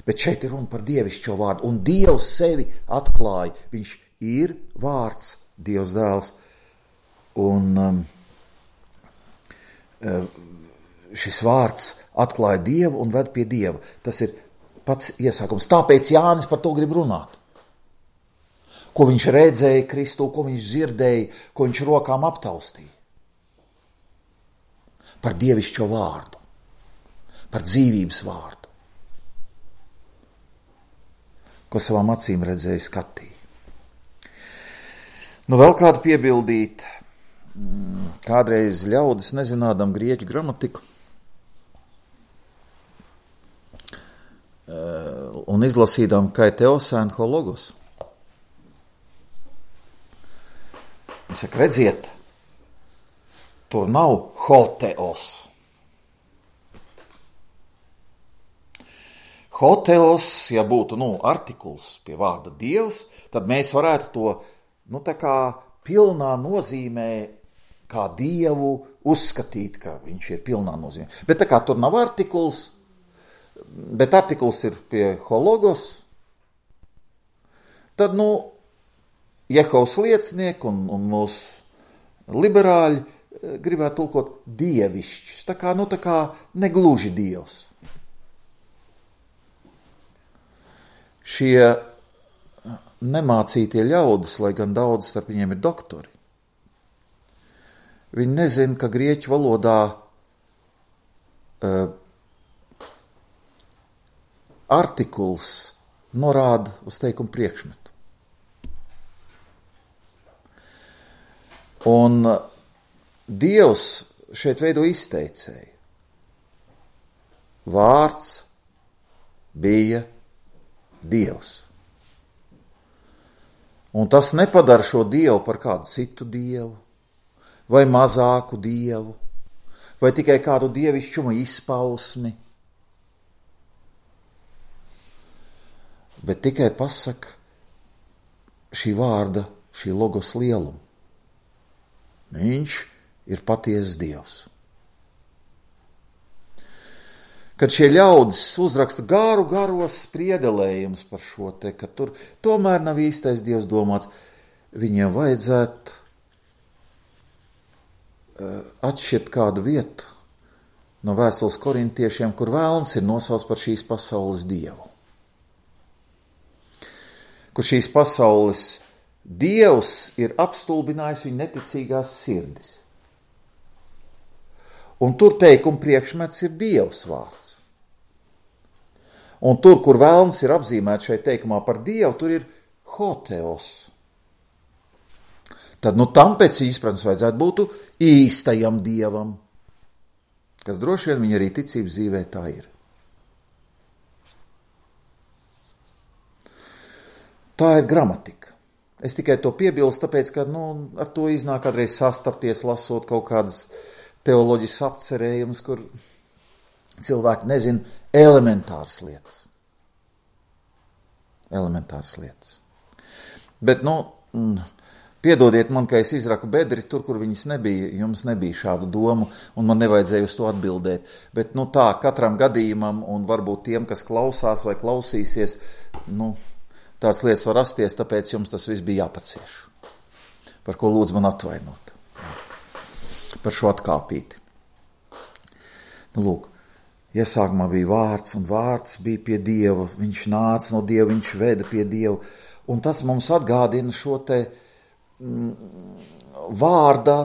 A: bet šeit ir runa par dievišķo vārdu, un Dievs sevi atklāja. Viņš ir vārds, Dievs dēls, un šis vārds atklāja Dievu un ved pie Dieva. Tas ir pats iesākums. Tāpēc Jānis par to grib runāt. Ko viņš redzēja Kristu, ko viņš dzirdēja, ko viņš rokām aptaustīja. Par dievišķo vārdu, par dzīvības vārdu, ko savām acīm redzēja, skatīja. Nu, vēl kādu piebildīt, kādreiz ļaudis nezinādam grieķu gramatiku un izlasīdām kaiteos en ho logos. Viņš saka, redziet, tur nav hoteos. Hoteos, ja būtu, artikuls pie vārda Dievs, tad mēs varētu to, tā kā pilnā nozīmē, kā Dievu uzskatīt, ka viņš ir pilnā nozīmē. Bet tā kā tur nav artikuls, bet artikuls ir pie hologos, tad, Jehovas liecinieki un mūsu liberāļi gribētu tulkot dievišķus, tā kā negluži Dievs. Šie nemācītie ļaudis, lai gan daudz starp viņiem ir doktori, viņi nezina, ka grieķu valodā artikuls norāda uz teikumu priekšmetu. Un Dievs šeit veido izteicēju. Vārds bija Dievs. Un tas nepadara šo Dievu par kādu citu Dievu, vai mazāku Dievu, vai tikai kādu dievišķuma izpausmi, bet tikai pasaka šī vārda, šī logos lielumu. Viņš ir patiesas Dievs. Kad šie ļaudis uzraksta garos spriedelējumus par šo te, ka tur tomēr nav īstais Dievs domāts, viņiem vajadzētu atšķirt kādu vietu no vēstules korintiešiem, kur vēlns ir nosauts par šīs pasaules Dievu. Kur šīs pasaules Dievs ir apstulbinājis viņa neticīgās sirdis. Un tur teikuma priekšmets ir Dievs vārds. Un tur, kur vēlns ir apzīmēts šeit teikumā par Dievu, tur ir hoteos. Tad, tam pēc izpratnes vajadzētu būt īstajam Dievam, kas droši vien viņa arī ticības dzīvē tā ir. Tā ir gramatika. Es tikai to piebilstu, tāpēc, ka ar to iznāk kādreiz sastapties, lasot kaut kādas teoloģiskas apcerējumus, kur cilvēki nezina elementāras lietas. elementāras lietas. Bet, piedodiet man, ka es izraku bedri tur, kur viņas nebija, jums nebija šādu domu, un man nevajadzēja uz to atbildēt. Bet, tā, katram gadījumam, un varbūt tiem, kas klausās vai klausīsies, tāds lietas var rasties, tāpēc jums tas viss bija jāpacieš. Par ko lūdzu man atvainot. Par šo atkāpīti. Lūk, iesākumā bija vārds, un vārds bija pie Dieva. Viņš nāca no Dieva, viņš veda pie Dieva. Un tas mums atgādina šo te vārda,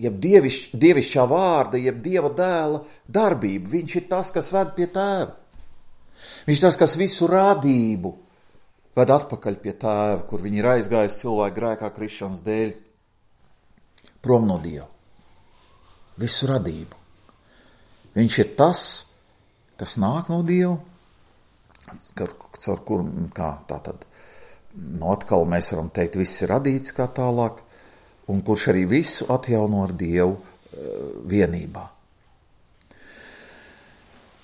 A: jeb dievišķā vārda, jeb Dieva dēla darbību. Viņš ir tas, kas ved pie Tēva. Viņš ir tas, kas visu radību ved atpakaļ pie Tēva, kur viņi ir aizgājis cilvēku grēkā krišanas dēļ prom no Dieva. Visu radību. Viņš ir tas, kas nāk no Dieva, caur kuru, tātad, atkal mēs varam teikt, viss ir radīts kā tālāk, un kurš arī visu atjauno ar Dievu vienībā.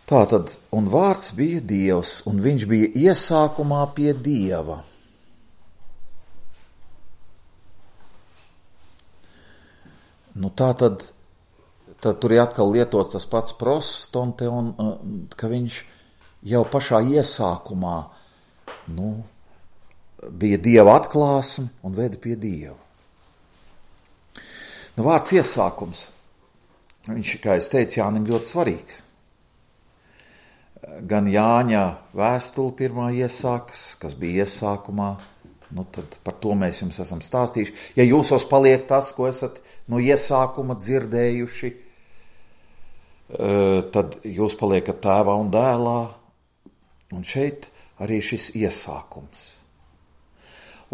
A: Tātad, un vārds bija Dievs, un viņš bija iesākumā pie Dieva. Tātad tur ir atkal lietots tas pats prostonteon, ka viņš jau pašā iesākumā, bija Dieva atklāsme un veda pie Dieva. Vārds iesākums, viņš, kā es teicu, Jānim ļoti svarīgs. Gan Jāņa vēstule pirmā iesākas, kas bija iesākumā, tad par to mēs jums esam stāstījuši. Ja jūsos paliek tas, ko esat no iesākuma dzirdējuši, tad jūs paliekat Tēvā un Dēlā, un šeit arī šis iesākums.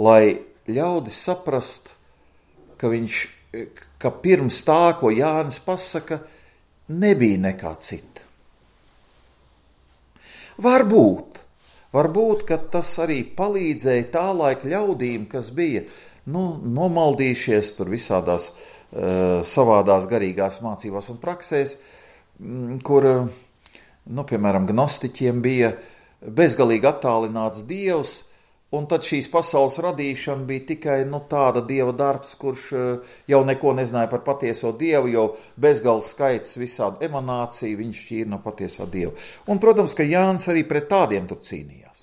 A: Lai ļaudis saprast, ka pirms tā, ko Jānis pasaka, nebija nekā cita. Varbūt, ka tas arī palīdzēja tā laika ļaudīm, kas bija nomaldījušies tur visādās savādās garīgās mācībās un praksēs, kur, piemēram, gnostiķiem bija bezgalīgi attālināts Dievs, un tad šīs pasaules radīšana bija tikai tāda Dieva darbs, kurš jau neko nezināja par patieso Dievu, jo bezgalīgi skaits visādu emanāciju viņš šķīra no patiesā Dieva. Un, protams, ka Jānis arī pret tādiem tur cīnījās.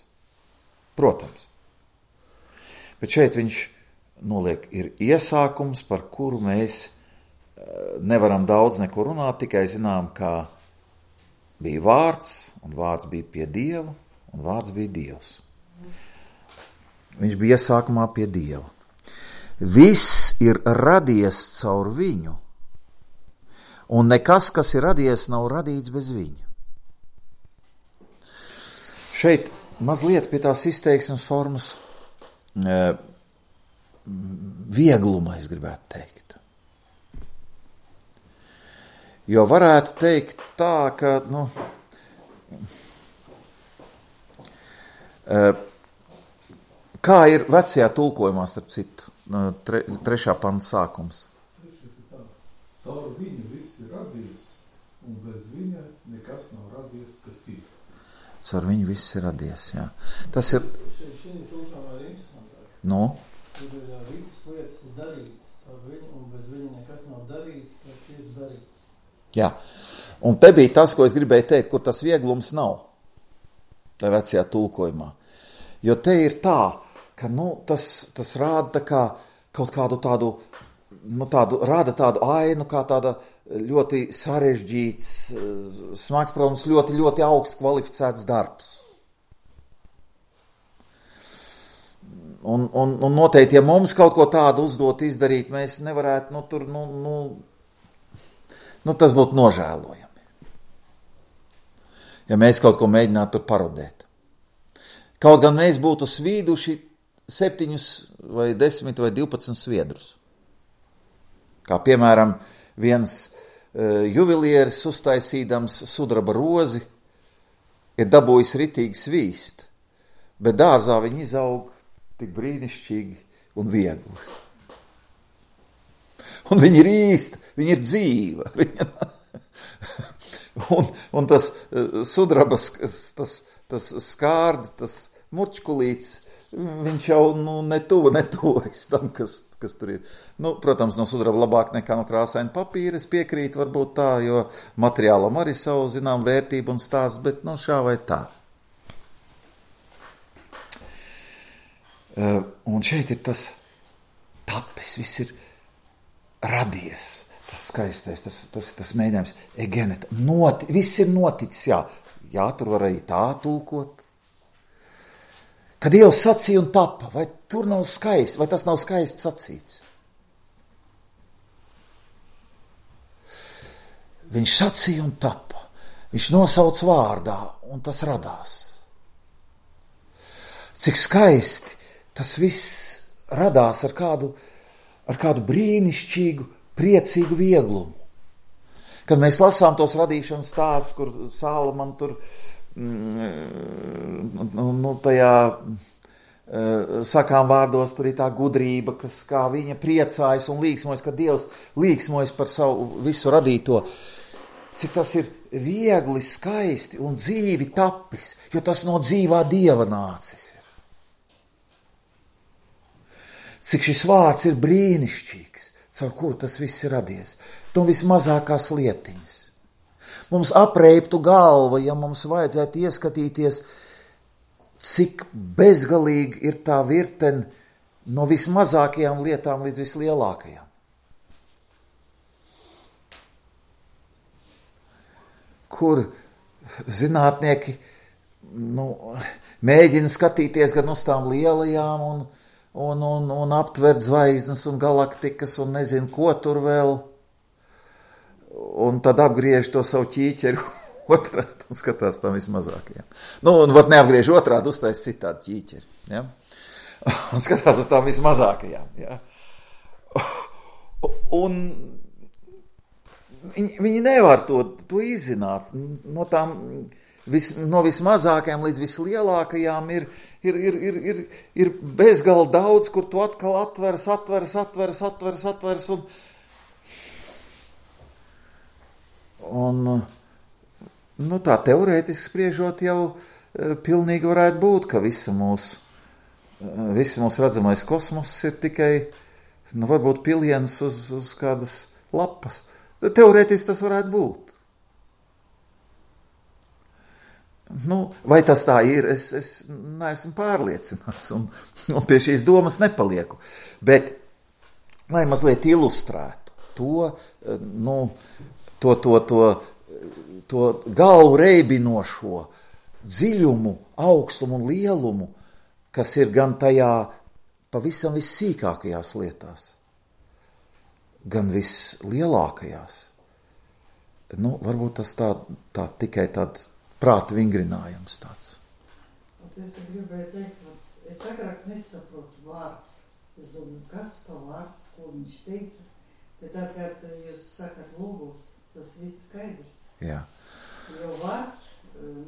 A: Protams. Bet šeit viņš noliek, ir iesākums, par kuru mēs nevaram daudz neko runāt, tikai zinām, kā bija vārds, un vārds bija pie Dieva, un vārds bija Dievs. Viņš bija iesākumā pie Dieva. Viss ir radies caur viņu, un nekas, kas ir radies, nav radīts bez viņa. Šeit mazliet pie tās izteiksmes formas viegluma, es gribētu teikt. Jo varētu teikt tā, ka, kā ir vecajā tulkojumā, starp citu, 3. panta sākums?
C: Caur viņu viss ir radies, un bez viņa nekas nav radies, kas ir.
A: Caur viņu viss ir radies, jā. Tas ir...
D: Šī tulkojumā ir interesantāk. Tur ir visas lietas ir darītas caur viņu, un bez viņa nekas nav darīts, kas ir darīts.
A: Jā, un te bija tas, ko es gribēju teikt, kur tas vieglums nav, tā vecajā tulkojumā. Jo te ir tā, ka tas rāda kā kaut kādu tādu, rāda tādu ainu, kā tāda ļoti sarežģīts, smags, protams, ļoti, ļoti augsts kvalificēts darbs. Un noteikti, ja mums kaut ko tādu uzdot izdarīt, mēs nevarētu, tas būtu nožēlojami. Ja mēs kaut ko mēģinātu tur parodēt. Kaut gan mēs būtu svīduši 7 vai 10 vai 12 sviedrus. Kā piemēram, viens juvelieris uztaisīdams sudraba rozi ir dabūjis ritīgi svīst, bet dārzā viņi izaug tik brīnišķīgi un viegli. Un viņi ir īsti, viņi ir dzīva. un tas sudrabas, tas skārdi, tas murčkulīts, viņš jau netuvojas tam, kas tur ir. Nu, protams, no sudraba labāk nekā no krāsaina papīra, es piekrītu varbūt tā, jo materiālam arī savu, zinām, vērtību un stāsts, bet, nu, šā vai tā. Un šeit ir tas tapis, viss ir radies. Tas skaistais, tas mēģinājums, egeneta, viss ir noticis, jā, tur var arī tā tulkot. Kad Dievs sacīja un tapa, vai tur nav skaisti, vai tas nav skaisti sacīts? Viņš sacīja un tapa, viņš nosauc vārdā, un tas radās. Cik skaisti tas viss radās ar kādu brīnišķīgu, priecīgu vieglumu. Kad mēs lasām tos radīšanas stāstus, kur Sālamam tur tajā sakām vārdos tur ir tā gudrība, kas kā viņa priecājas un līksmojas, ka Dievs līksmojas par savu visu radīto. Cik tas ir viegli, skaisti un dzīvi tapis, jo tas no dzīvā Dieva nācis ir. Cik šis vārds ir brīnišķīgs, caur kuru tas viss ir radies. No vismazākās lietiņas. Mums apreiptu galva, ja mums vajadzētu ieskatīties, cik bezgalīgi ir tā virtene no vismazākajām lietām līdz vislielākajām. Kur zinātnieki mēģina skatīties gan uz tām lielajām un aptvert zvaigznes un galaktikas un nezinu, ko tur vēl. Un tad apgriež to savu ķīķeri otrādi un skatās tam vismazākajām. Un var neapgriež otrādi, uztais citādi ķīķeri. Ja? Un skatās uz tām vismazākajām. Ja? Un viņi nevar to izzināt. No vismazākajām līdz vislielākajām ir bezgala daudz, kur tu atkal atveras un tā teorētiski spriežot jau pilnīgi varētu būt, ka visi mūsu redzamais kosmos ir tikai, varbūt piliens uz kādas lapas. Teorētiski tas varētu būt. Vai tas tā ir, es neesmu pārliecināts un pie šīs domas nepalieku. Bet, lai mazliet ilustrētu to galvu reibinošo dziļumu, augstumu un lielumu, kas ir gan tajā pavisam vissīkākajās lietās, gan vislielākajās. Varbūt tas tā tikai tāds prāta vingrinājums tāds.
B: Es gribēju teikt, es agrāk nesaprotu vārds. Es domāju, kas pa vārds, ko viņš teica, bet tā, kad jūs sakat logos, tas viss skaidrs.
A: Jā.
B: Jo vārds,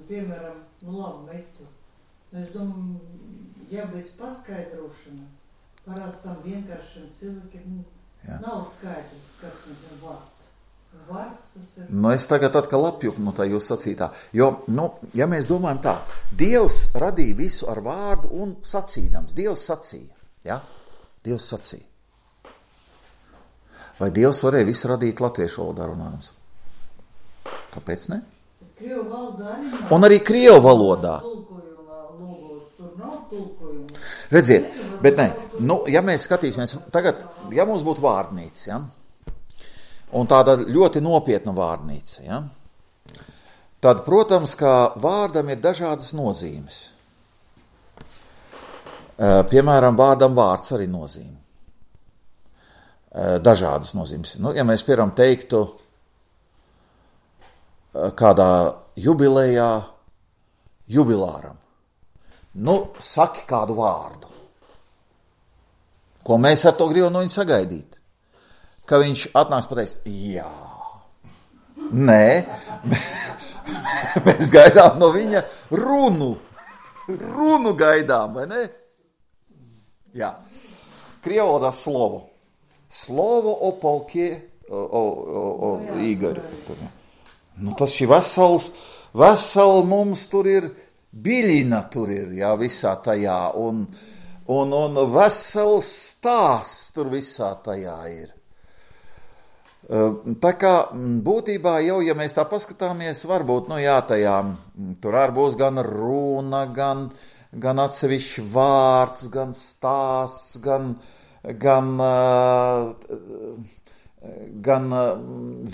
B: piemēram, labi, mēs tur. Es domāju, ja bez paskaidrošana, parastam vienkāršiem cilvēkiem nav skaidrs, kas mums ir vārds. Vārds tas ir...
A: Es tagad atkal apjuku no tā jūs sacītā. Jo, ja mēs domājam tā, Dievs radīja visu ar vārdu un sacīdams. Dievs sacīja. Ja? Dievs sacīja. Vai Dievs varēja visu radīt latviešu valodā runājums? Kāpēc ne?
B: Krievu valodā arī nav.
A: Un arī krievu valodā.
B: Tur nav tulkojuma.
A: Redziet, bet ne, ja mēs skatīsimies, tagad, ja mums būtu vārnīca, ja? Un tāda ļoti nopietna vārnīca, ja? Tad, protams, kā vārdam ir dažādas nozīmes. Piemēram, vārdam vārds arī nozīme. Dažādas nozīmes. Ja mēs, piemēram, teiktu kādā jubilejā jubilāram, saki kādu vārdu, ko mēs ar to gribam no viņa sagaidīt. Ka viņš atnāks pateiks, jā, nē, mēs gaidām no viņa runu gaidām, vai ne? Jā, krievalodā slovo o polkie, o Igori. Tas šī vesela mums tur ir biļina tur ir, jā, visā tajā, un vesels stāsts tur visā tajā ir. Tā kā būtībā jau, ja mēs tā paskatāmies, varbūt, tajā, tur arī būs gan runa, gan atsevišķi vārds, gan stāsts, gan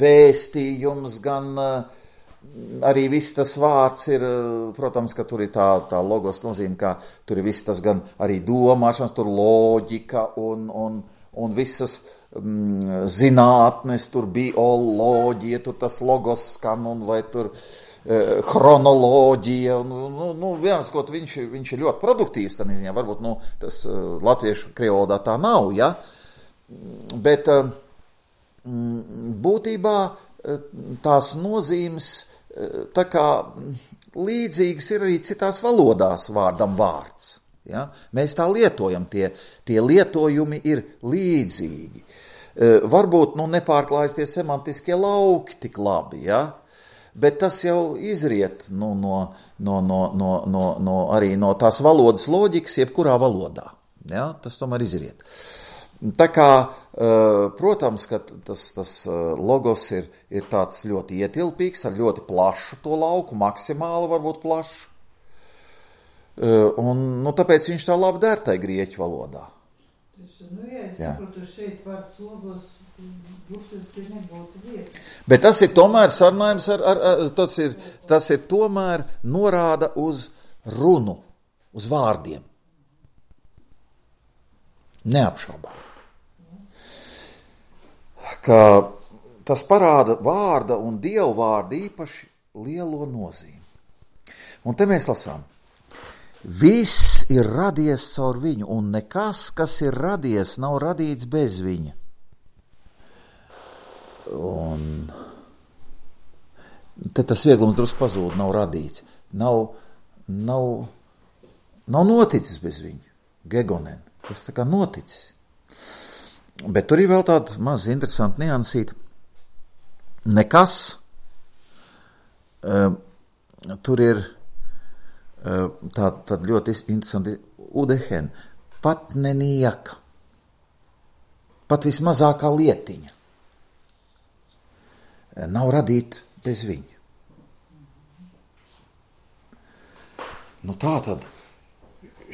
A: vēstījums, gan arī viss tas vārds ir, protams, ka tur ir tā logos nozīme, ka tur ir viss tas gan arī domāšanas, tur loģika un visas zinātnes, tur bioloģija, tur tas logos skan, un vai tur chronoloģija, viens, ko viņš ir ļoti produktīvs, tā neziņā, varbūt, tas latviešu krievalodā tā nav, ja, bet būtībā tās nozīmes tā kā līdzīgas ir arī citās valodās vārdam vārds. Ja? Mēs tā lietojam, tie lietojumi ir līdzīgi. Varbūt nepārklājas tie semantiskie lauki tik labi, ja? Bet tas jau izriet arī no tās valodas loģikas, jebkurā valodā. Ja? Tas tomēr izriet. Tā kā, protams, ka tas logos ir tāds ļoti ietilpīgs, ar ļoti plašu to lauku, maksimāli varbūt plašu. Un tāpēc viņš tā labi der tai grieķu valodā.
B: Es saprotu, šeit vārds logos burtiski nebūtu vieta.
A: Bet tas ir tomēr sarunājums tas ir tomēr norāda uz runu, uz vārdiem. Neapšaubām. Ka tas parāda vārda un dievu vārda īpaši lielo nozīmi. Un te mēs lasām. Viss ir radies caur viņu, un nekas, kas ir radies, nav radīts bez viņa. Un te tas vieglums drusku pazūd, nav radīts. Nav noticis bez viņu. Gegonen. Tas tā kā noticis. Bet tur ir vēl tāda maz interesanta niansīta. Nekas. Tur ir tāda ļoti interesanti udehen. Pat nenieka. Pat vismazākā lietiņa. Nav radīta bez viņa. Tā tad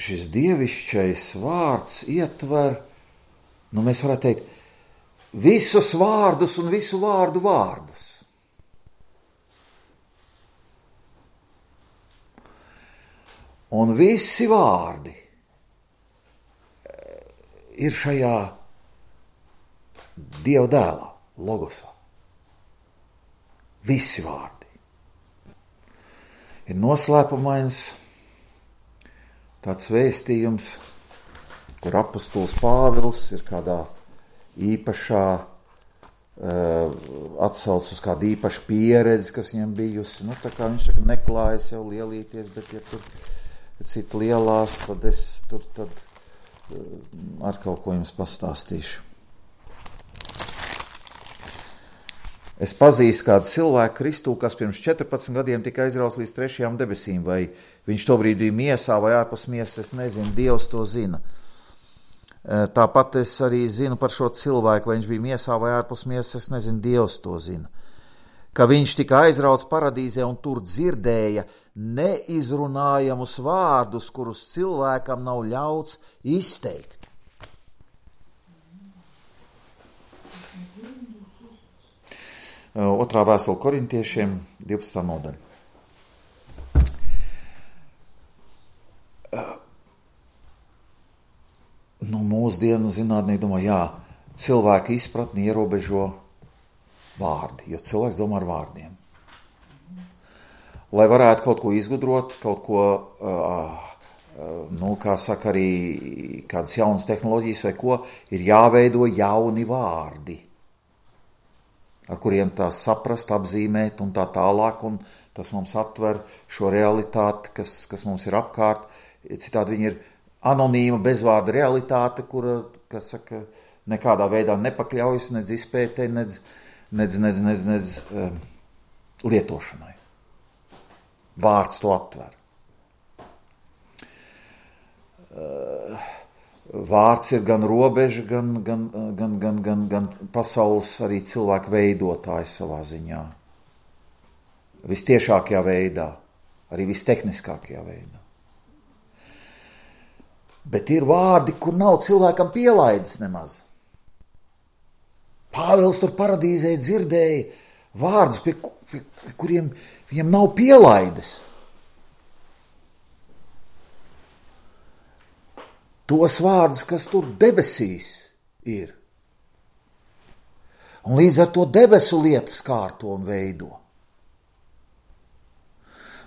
A: šis dievišķais vārds ietver, mēs varētu teikt, visus vārdus un visu vārdu vārdus. Un visi vārdi ir šajā Dieva dēlā, logosā. Visi vārdi. Ir noslēpumains tāds vēstījums, kur apostols Pāvils ir kādā īpašā atsauc uz kādu īpašu pieredzi, kas viņam bijusi. Tā kā viņš saka, neklājas jau lielīties, bet ja tur citi lielās, tad es tur ar kaut ko jums pastāstīšu. Es pazīstu kādu cilvēku Kristū, kas pirms 14 gadiem tika aizrauts līdz 3. debesīm, vai viņš tobrīd bija miesā vai ārpus miesas, es nezinu, Dievs to zina. Tāpat es arī zinu par šo cilvēku, vai viņš bija miesā vai ārpus miesas, es nezinu, Dievs to zina. Ka viņš tika aizrauts paradīzē un tur dzirdēja neizrunājamus vārdus, kurus cilvēkam nav ļauts izteikt. Otrā vēstule Korintiešiem, 12. nodaļa. Mūsdienu zinātnieki domā, cilvēka izpratni ierobežo vārdi, jo cilvēks domā ar vārdiem. Lai varētu kaut ko izgudrot, kaut ko, kā saka arī kādas jaunas tehnoloģijas vai ko, ir jāveido jauni vārdi, ar kuriem tās saprast, apzīmēt un tā tālāk, un tas mums atver šo realitāti, kas mums ir apkārt. Citādi viņi ir anonīma, bezvārda realitāte, kura, kas saka, nekādā veidā nepakļaujas, nedz izpētē, nedz lietošanai. Vārds to atver. vārds ir gan robeža, gan pasaules arī cilvēku veidotājs savā ziņā. Vistiešākajā veidā, arī vistehniskākajā veidā. Bet ir vārdi, kur nav cilvēkam pielaides nemaz. Pāvils tur paradīzē dzirdēja vārdus, pie kuriem viņam nav pielaides. Tos vārdus, kas tur debesīs ir. Un līdz ar to debesu lietas kārto un veido.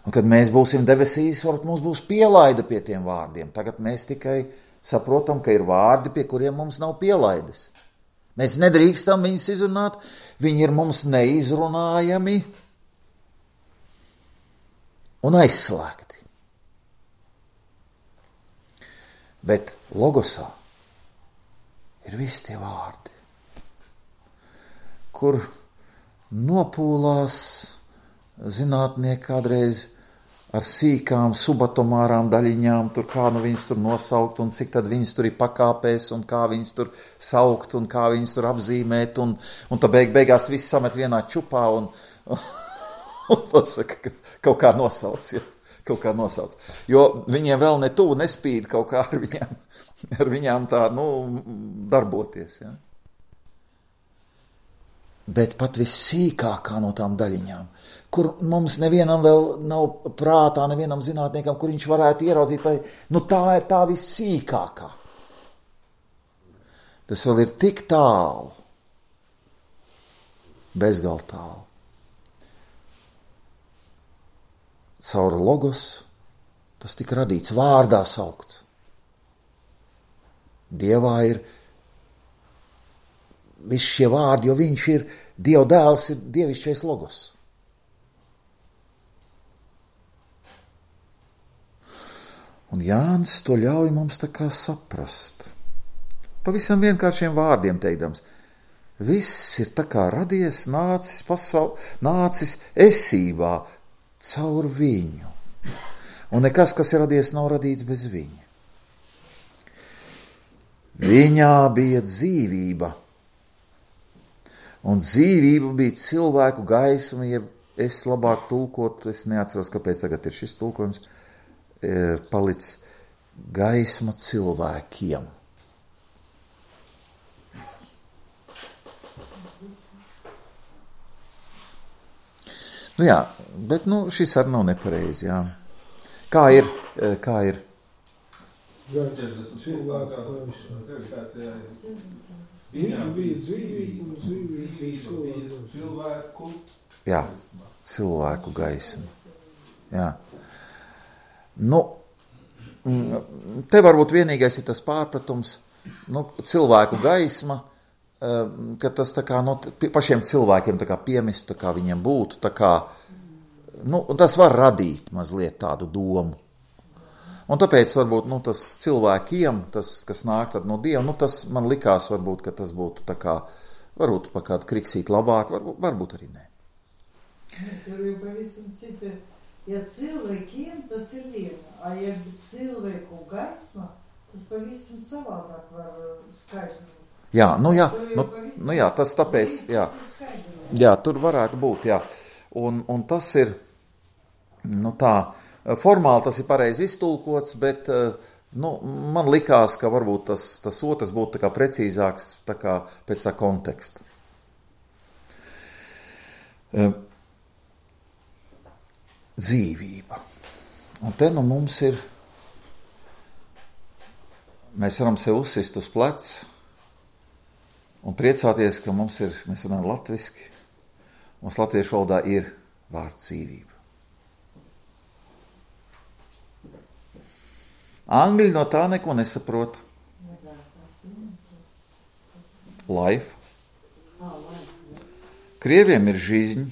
A: Un kad mēs būsim debesīs, varbūt mums būs pielaida pie tiem vārdiem. Tagad mēs tikai saprotam, ka ir vārdi, pie kuriem mums nav pielaides. Mēs nedrīkstam viņus izrunāt, viņi ir mums neizrunājami un aizslēgti. Bet logosā ir visi tie vārdi, kur nopūlās zinātnieki kādreiz ar sīkām subatomārām daļiņām, tur kā nu viņas tur nosaukt, un cik tad viņas tur ir pakāpēs, un kā viņas tur saukt, un kā viņas tur apzīmēt, un tad beigās viss samet vienā čupā, un pasaka, ka kaut kā nosauc, ja, kaut kā nosauc. Jo viņiem vēl ne tuvu nespīd kaut kā ar viņām tā, darboties, ja. Bet pat vissīkākā no tām daļiņām, kur mums nevienam vēl nav prātā, nevienam zinātniekam, kur viņš varētu ieraudzīt, tā ir tā vissīkākā. Tas vēl ir tik tālu, bezgal tālu. Caur logos tas tika radīts, vārdā saukts. Dievā ir visi šie vārdi, jo viņš ir, Dieva dēls ir dievišķais logos. Un Jānis to ļauj mums tā kā saprast. Pavisam vienkāršiem vārdiem teikdams. Viss ir tā kā radies, nācis esībā caur viņu. Un nekas, kas ir radies, nav radīts bez viņa. Viņā bija dzīvība. Un dzīvība bija cilvēku gaisma, ja es labāk tulkotu, es neatceros, kāpēc tagad ir šis tulkojums, palicis gaisma cilvēkiem. Jā, bet šis arī nav nepareizi, jā. Kā ir?
E: Viņš bija dzīvība, un dzīvība bija
C: cilvēku.
A: Jā, cilvēku gaisma. Jā. Te varbūt vienīgais ir tas pārpratums, cilvēku gaisma, ka tas tā kā pašiem cilvēkiem tā kā piemest, tā kā viņiem būtu, tā kā, tas var radīt mazliet tādu domu. Un tāpēc varbūt, tas cilvēkiem, tas, kas nāk tad no Dieva, tas man likās varbūt, ka tas būtu tā kā, varbūt pa kādu kriksīt labāk, varbūt arī nē.
B: Tur jau pavisam cita, ja cilvēkiem tas ir viena, ja cilvēku gaisma, tas pavisam savādāk var skaidrot.
A: Jā, tas tāpēc, jā, tur varētu būt, jā. Un tas ir, tā, formāli tas ir pareizi iztulkots, bet man likās, ka varbūt tas otrs būtu tā kā precīzāks tā kā pēc tā konteksta. Dzīvība. Un te mums ir, mēs varam sev uzsist uz pleca un priecāties, ka mēs runājam latviski, mums latviešu valodā ir vārds dzīvība. Angļi no tā neko nesaprot. Life. Krieviem ir žižņi.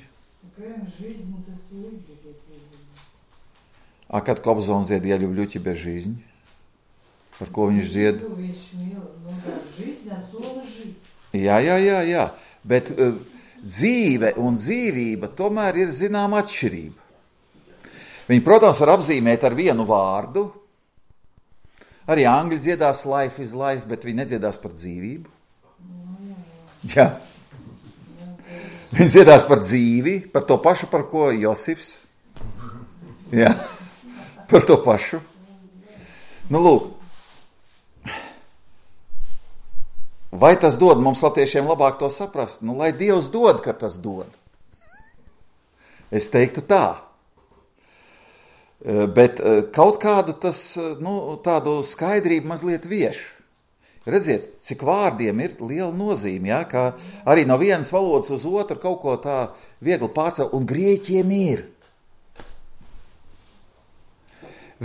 A: A kad Kobzons dzied, ja ļubļu ķibe žižņi? Par ko viņš dzied? Jā. Bet dzīve un dzīvība tomēr ir zināma atšķirība. Viņi, protams, var apzīmēt ar vienu vārdu, Arī angļi dziedās life is life, bet viņi nedziedās par dzīvību. Jā. Viņi dziedās par dzīvi, par to pašu, par ko Josifs. Jā, par to pašu. Nu, lūk. Vai tas dod mums latviešiem labāk to saprast? Nu, lai Dievs dod, ka tas dod. Es teiktu tā. Bet kaut kādu tas, tādu skaidrību mazliet vieš. Redziet, cik vārdiem ir liela nozīme, ja? Kā arī no vienas valodas uz otru kaut ko tā viegli pārcelt, un grieķiem ir.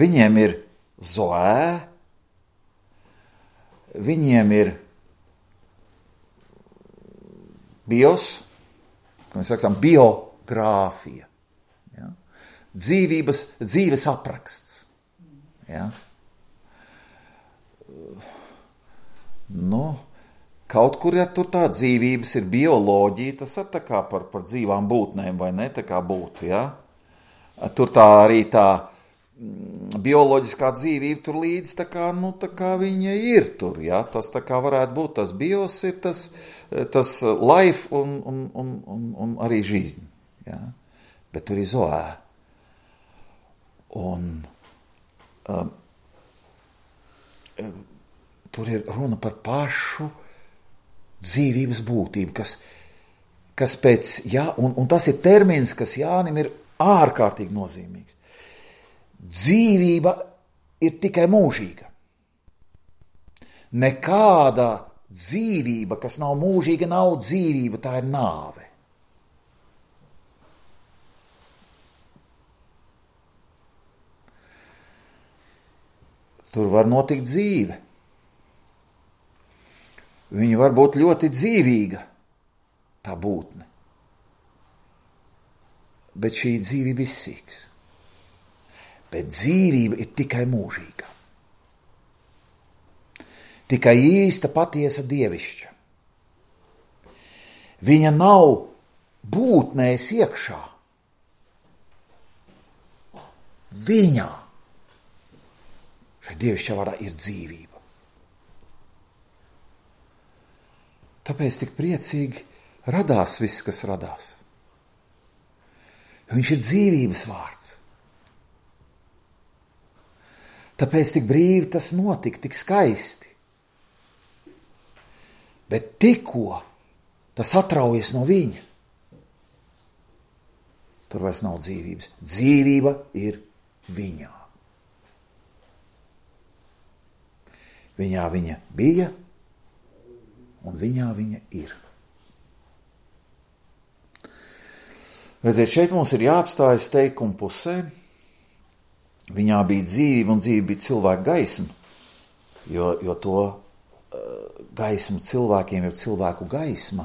A: Viņiem ir zoē, viņiem ir bios, kā mēs sakām, biogrāfija, ja? Dzīves apraksts. Ja? Kaut kur ja tur tā dzīvības ir bioloģija, tas ir tā kā par dzīvām būtnēm, vai ne, tā kā būtu, ja? Tur tā arī tā bioloģiskā dzīvība tur līdz, tā kā viņa ir tur, ja? Tas tā kā varētu būt, tas bios ir tas life un arī жизнь, ja? Bet tur ir zoē. Un tur ir runa par pašu dzīvības būtību, kas pēc, un tas ir termins, kas Jānim ir ārkārtīgi nozīmīgs. Dzīvība ir tikai mūžīga. Nekāda dzīvība, kas nav mūžīga, nav dzīvība, tā ir nāve. Tur var notikt dzīve. Viņa var būt ļoti dzīvīga, tā būtne. Bet šī dzīvība izsīks. Bet dzīvība ir tikai mūžīga. Tikai īsta, patiesa dievišķa. Viņa nav būtnēs iekšā. Viņā. Šai dievišķā vārdā ir dzīvība. Tāpēc tik priecīgi radās viss, kas radās. Viņš ir dzīvības vārds. Tāpēc tik brīvi tas notika, tik skaisti. Bet tikko tas atraujas no viņa, tur vairs nav dzīvības. Dzīvība ir viņā. Viņā viņa bija, un viņā viņa ir. Redziet, šeit mums ir jāapstājas teikuma pusē. Viņā bija dzīvība, un dzīvība bija cilvēka gaisma, jo to gaismu cilvēkiem, jo cilvēku gaisma,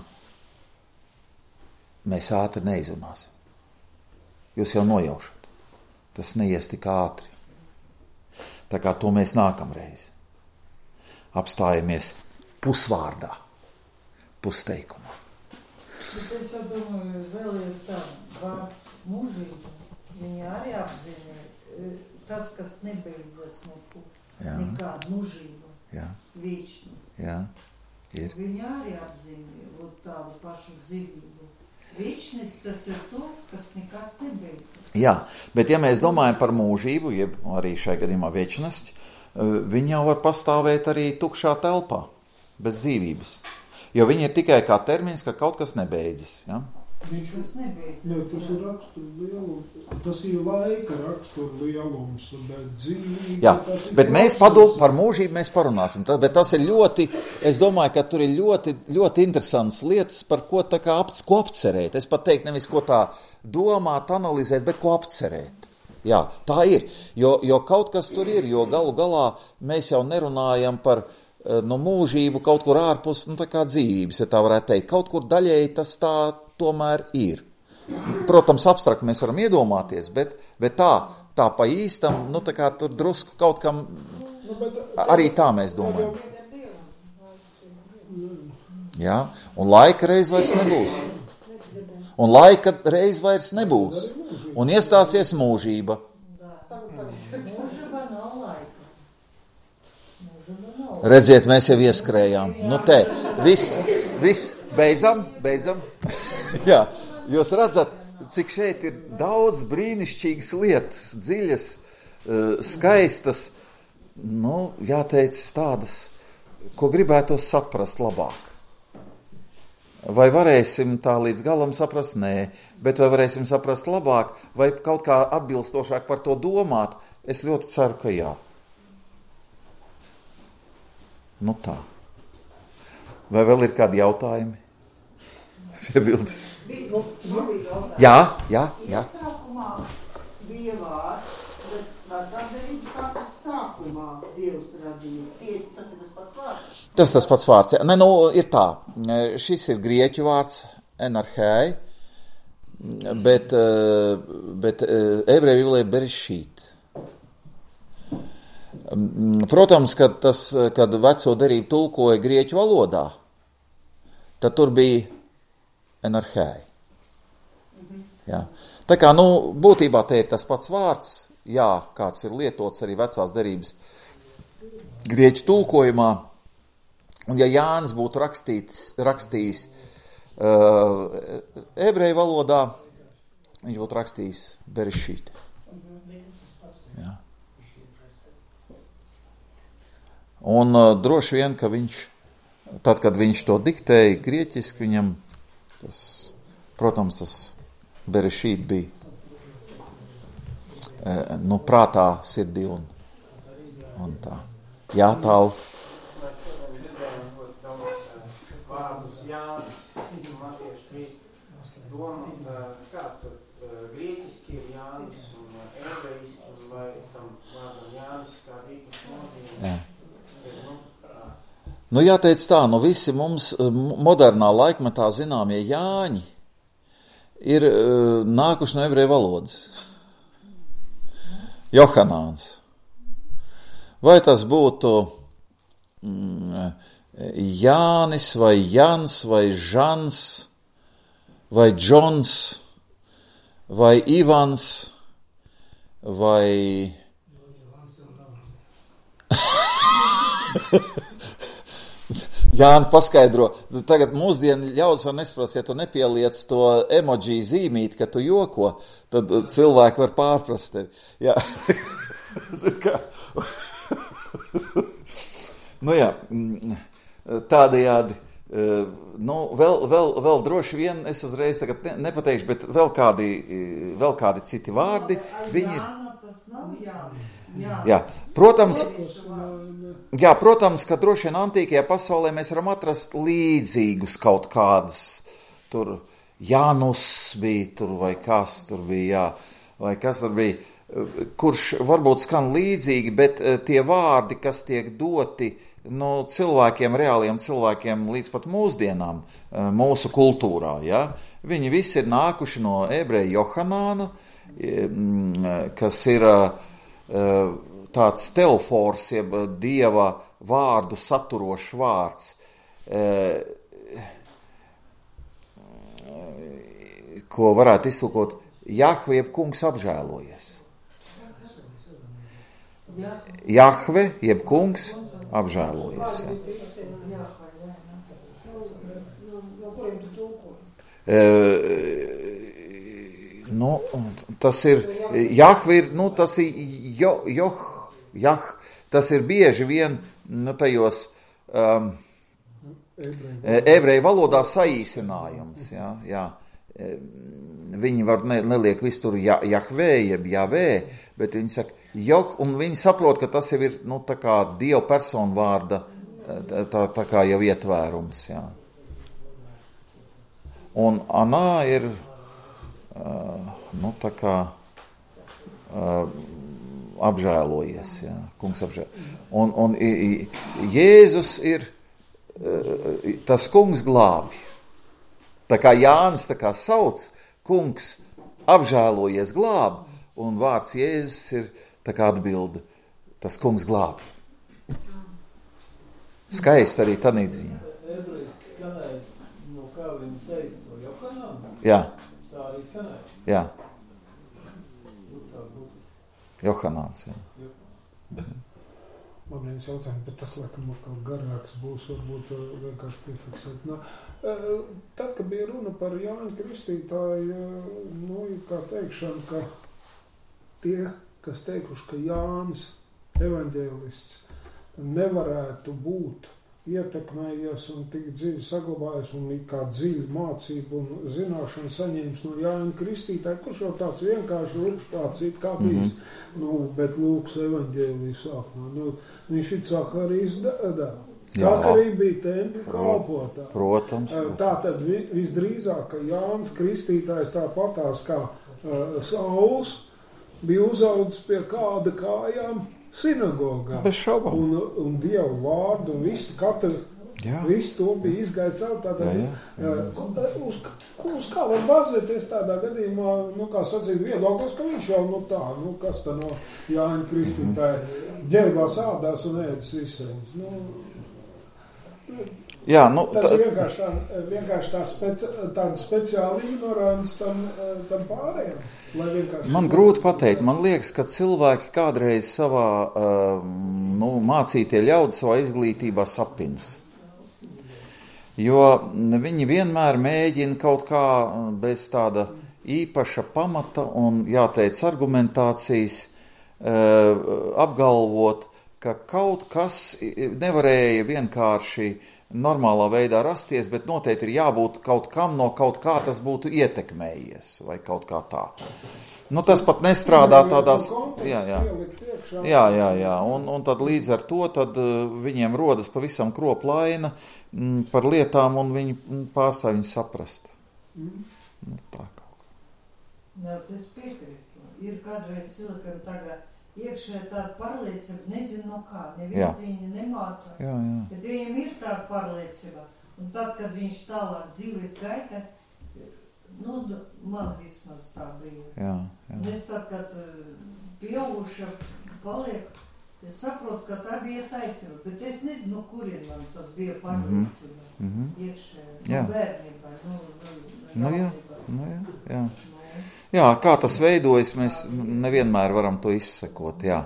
A: mēs ātri neizrunāsim. Jūs jau nojaušat. Tas neies tik ātri. Tā kā to mēs nākamreiz apstājamies pusvārdā, pusteikumā.
B: Bet es jau domāju, vēl ir tā vārds mūžība. Viņa arī apzina tas, kas nebeidzas nekāda mūžība, vīčnes.
A: Jā, ir.
B: Viņa arī apzina tādu pašu dzīvību. Vīčnes tas ir to, kas nekas nebeidzas.
A: Jā, bet ja mēs domājam par mūžību, jeb arī šai gadījumā večnosti, viņa jau var pastāvēt arī tukšā telpā, bez dzīvības. Jo viņa ir tikai kā termins, ka kaut kas nebeidzas. Ja?
B: Tas nebeidzas.
E: Jā, tas ir rakstura lielums. Tas ir laika rakstura lielums, bet dzīvība.
A: Jā, bet mēs par mūžību mēs parunāsim. Bet tas ir ļoti, es domāju, ka tur ir ļoti, ļoti interesants lietas, par ko tā kā ko apcerēt. Es pat teiktu nevis ko tā domāt, analizēt, bet ko apcerēt. Jā, tā ir, jo kaut kas tur ir, jo galu galā mēs jau nerunājam par mūžību kaut kur ārpus, tā kā dzīvības, ja tā varētu teikt. Kaut kur daļēji tas tā tomēr ir. Protams, abstrakt mēs varam iedomāties, bet tā pa īstam, tā kā tur drusku kaut kam, arī tā mēs domājam. Jā, un laika reiz vairs nebūs. Un laika reiz vairs nebūs. Un iestāsies mūžība.
B: Mūžība nav laika.
A: Redziet, mēs jau ieskrējām. Nu te, viss, beidzam. Jā, jūs redzat, cik šeit ir daudz brīnišķīgas lietas, dziļas, skaistas, nu, jāteic tādas, ko gribētos saprast labāk. Vai varēsim tā līdz galam saprast? Nē, bet vai varēsim saprast labāk, vai kaut kā atbilstošāk par to domāt? Es ļoti ceru, ka jā. Nu tā. Vai vēl ir kādi jautājumi? Piebildes. Jā.
F: Sākumā bija vārds, bet vecākdarības sākas sākumā Dievs radīja. Tas ir tas pats vārds?
A: Tas pats vārds. Ne, nu, ir tā. Šis ir grieķu vārds enarhēi, bet ebreju vīlē berešīt. Protams, kad veco derību tulkoja grieķu valodā, tad tur bija enarhēi. Jā. Tā kā, nu, būtībā te ir tas pats vārds, jā, kāds ir lietots arī vecās derības grieķu tulkojumā, un ja Jānis būtu rakstījis ebreju valodā, viņš būtu rakstījis berešīt. Jā. Un droši vien, ka viņš, tad, kad viņš to diktēja grieķiski, viņam tas, protams, tas berešīt bija nu, prātā, sirdī un tā. Jā, tālu.
G: Vārdus Jānis, Matieši, doma, kā tur grieķiski ir Jānis un ebrejiski, vai tam vārdam Jānis kā īpaši nozīme.
A: Nu, jāteic tā, nu visi mums modernā laikmetā zināmie Jāņi ir nākuši no ebreju valodas. Johanāns. Vai tas būtu Jānis vai Jans vai Žans vai Džons vai Ivans vai... Jāni paskaidro, tagad mūsdienu ļaudis var nesprast, ja tu nepieliec to emoji zīmīt, ka tu joko, tad cilvēki var pārprast tevi. Jā. Nu jā, tādējādi, nu vēl droši vien, es uzreiz tagad nepateikšu, bet vēl kādi citi vārdi, viņi ir... Jā, protams, ka droši vien antīkajā pasaulē mēs varam atrast līdzīgus kaut kādus, tur Janus bija tur, vai kas tur bija, vai kas tur bija, kurš varbūt skan līdzīgi, bet tie vārdi, kas tiek doti, nu, cilvēkiem, reāliem cilvēkiem līdz pat mūsdienām, mūsu kultūrā, ja, viņi visi ir nākuši no ebreja Johanāna, kas ir tāds teofors, jeb dieva vārdu saturošs vārds, ko varētu iztulkot Jahve, jeb kungs apžēlojies. Jahve, jeb kungs apžēlojies. Nu, tas ir, Jahve ir, nu, tas ir tas ir bieži vien, nu, tajos ebreju valodā saīsinājums, jā. Viņi var neliek visur Jahve, jeb Javē, bet viņi saka Joh, un viņi saprot, ka tas jau ir, nu, tā kā Dieva personu vārda, tā kā jau ietvērums, jā. Un Anā ir, nu, tā kā apžēlojies, jā, kungs apžēlojies. Un Jēzus ir tas kungs glābi. Tā kā Jānis tā kā sauc, kungs apžēlojies glābi, un vārds Jēzus ir tā kā atbilde, tas kungs glābi. Skaisti arī tādā ziņā.
D: Ebrejiski skanēja, no kā viņi teica to Johanānu?
A: Jā.
D: Tā arī skanēja?
A: Jā. Johanāns, jā.
E: Man viens jautājums, bet tas, laikam, kaut garāks būs, varbūt vienkārši piefiksēt. Tad, kad bija runa par Jāņa Kristītāju, kā teikšana, ka tie, kas teikuši, ka Jānis evaņģēlists nevarētu būt ietekmējies un tik dziļi saglabājies un it kā dziļi mācību un zināšanu saņēmis no Jāņa Kristītāja, kurš jau tāds vienkārši rupštāts it kā bijis, bet Lūkas evaņģēlija sākumā. Viņš ir Cakarijas dēls. Cakarija bija tempļa kalpotā.
A: Protams.
E: Tātad visdrīzāk, ka Jānis Kristītājs tāpatās kā Sauls bija uzaudzis pie kāda kājām sinagogā.
A: Bez šaubām.
E: Un Dievu vārdu un visu to bija izgājis savu. Uz kā var bazēties tādā gadījumā, kā sacīt viedoklis, ka viņš jau kas tā no Jāņa Kristītāja ģērbās ādās un ēdas izsēļas. Tas ir vienkārši tāda speciāla ignorants tam pārējiem.
A: Man grūti pateikt, man liekas, ka cilvēki kādreiz savā mācītie ļaudi savā izglītībā sapinas. Jo viņi vienmēr mēģina kaut kā bez tāda īpaša pamata un, jāteic, argumentācijas apgalvot, ka kaut kas nevarēja vienkārši normālā veidā rasties, bet noteikti ir jābūt kaut kam no kaut kā tas būtu ietekmējies, vai kaut kā tā. Tas pat nestrādā tādās... Jā. Un tad līdz ar to tad viņiem rodas pavisam kroplaina par lietām, un viņi pārstāv viņu saprast. Tā kaut kā.
B: Tas piekrītu. Ir kādreiz cilvēkam tagad iekšē tāda pārliecība, nezinu no kā, neviens viņu nemāca, bet viņam ir tāda pārliecība. Un tad, kad viņš tālāk dzīves gaita, man vismaz tā bija. Un es tad, kad pieauguša paliek, es saprotu, ka tā bija taisnība, bet es nezinu, kurien man tas bija pārliecība iekšē, bērnībā,
A: Jā, kā tas veidojas, mēs nevienmēr varam to izsekot, jā.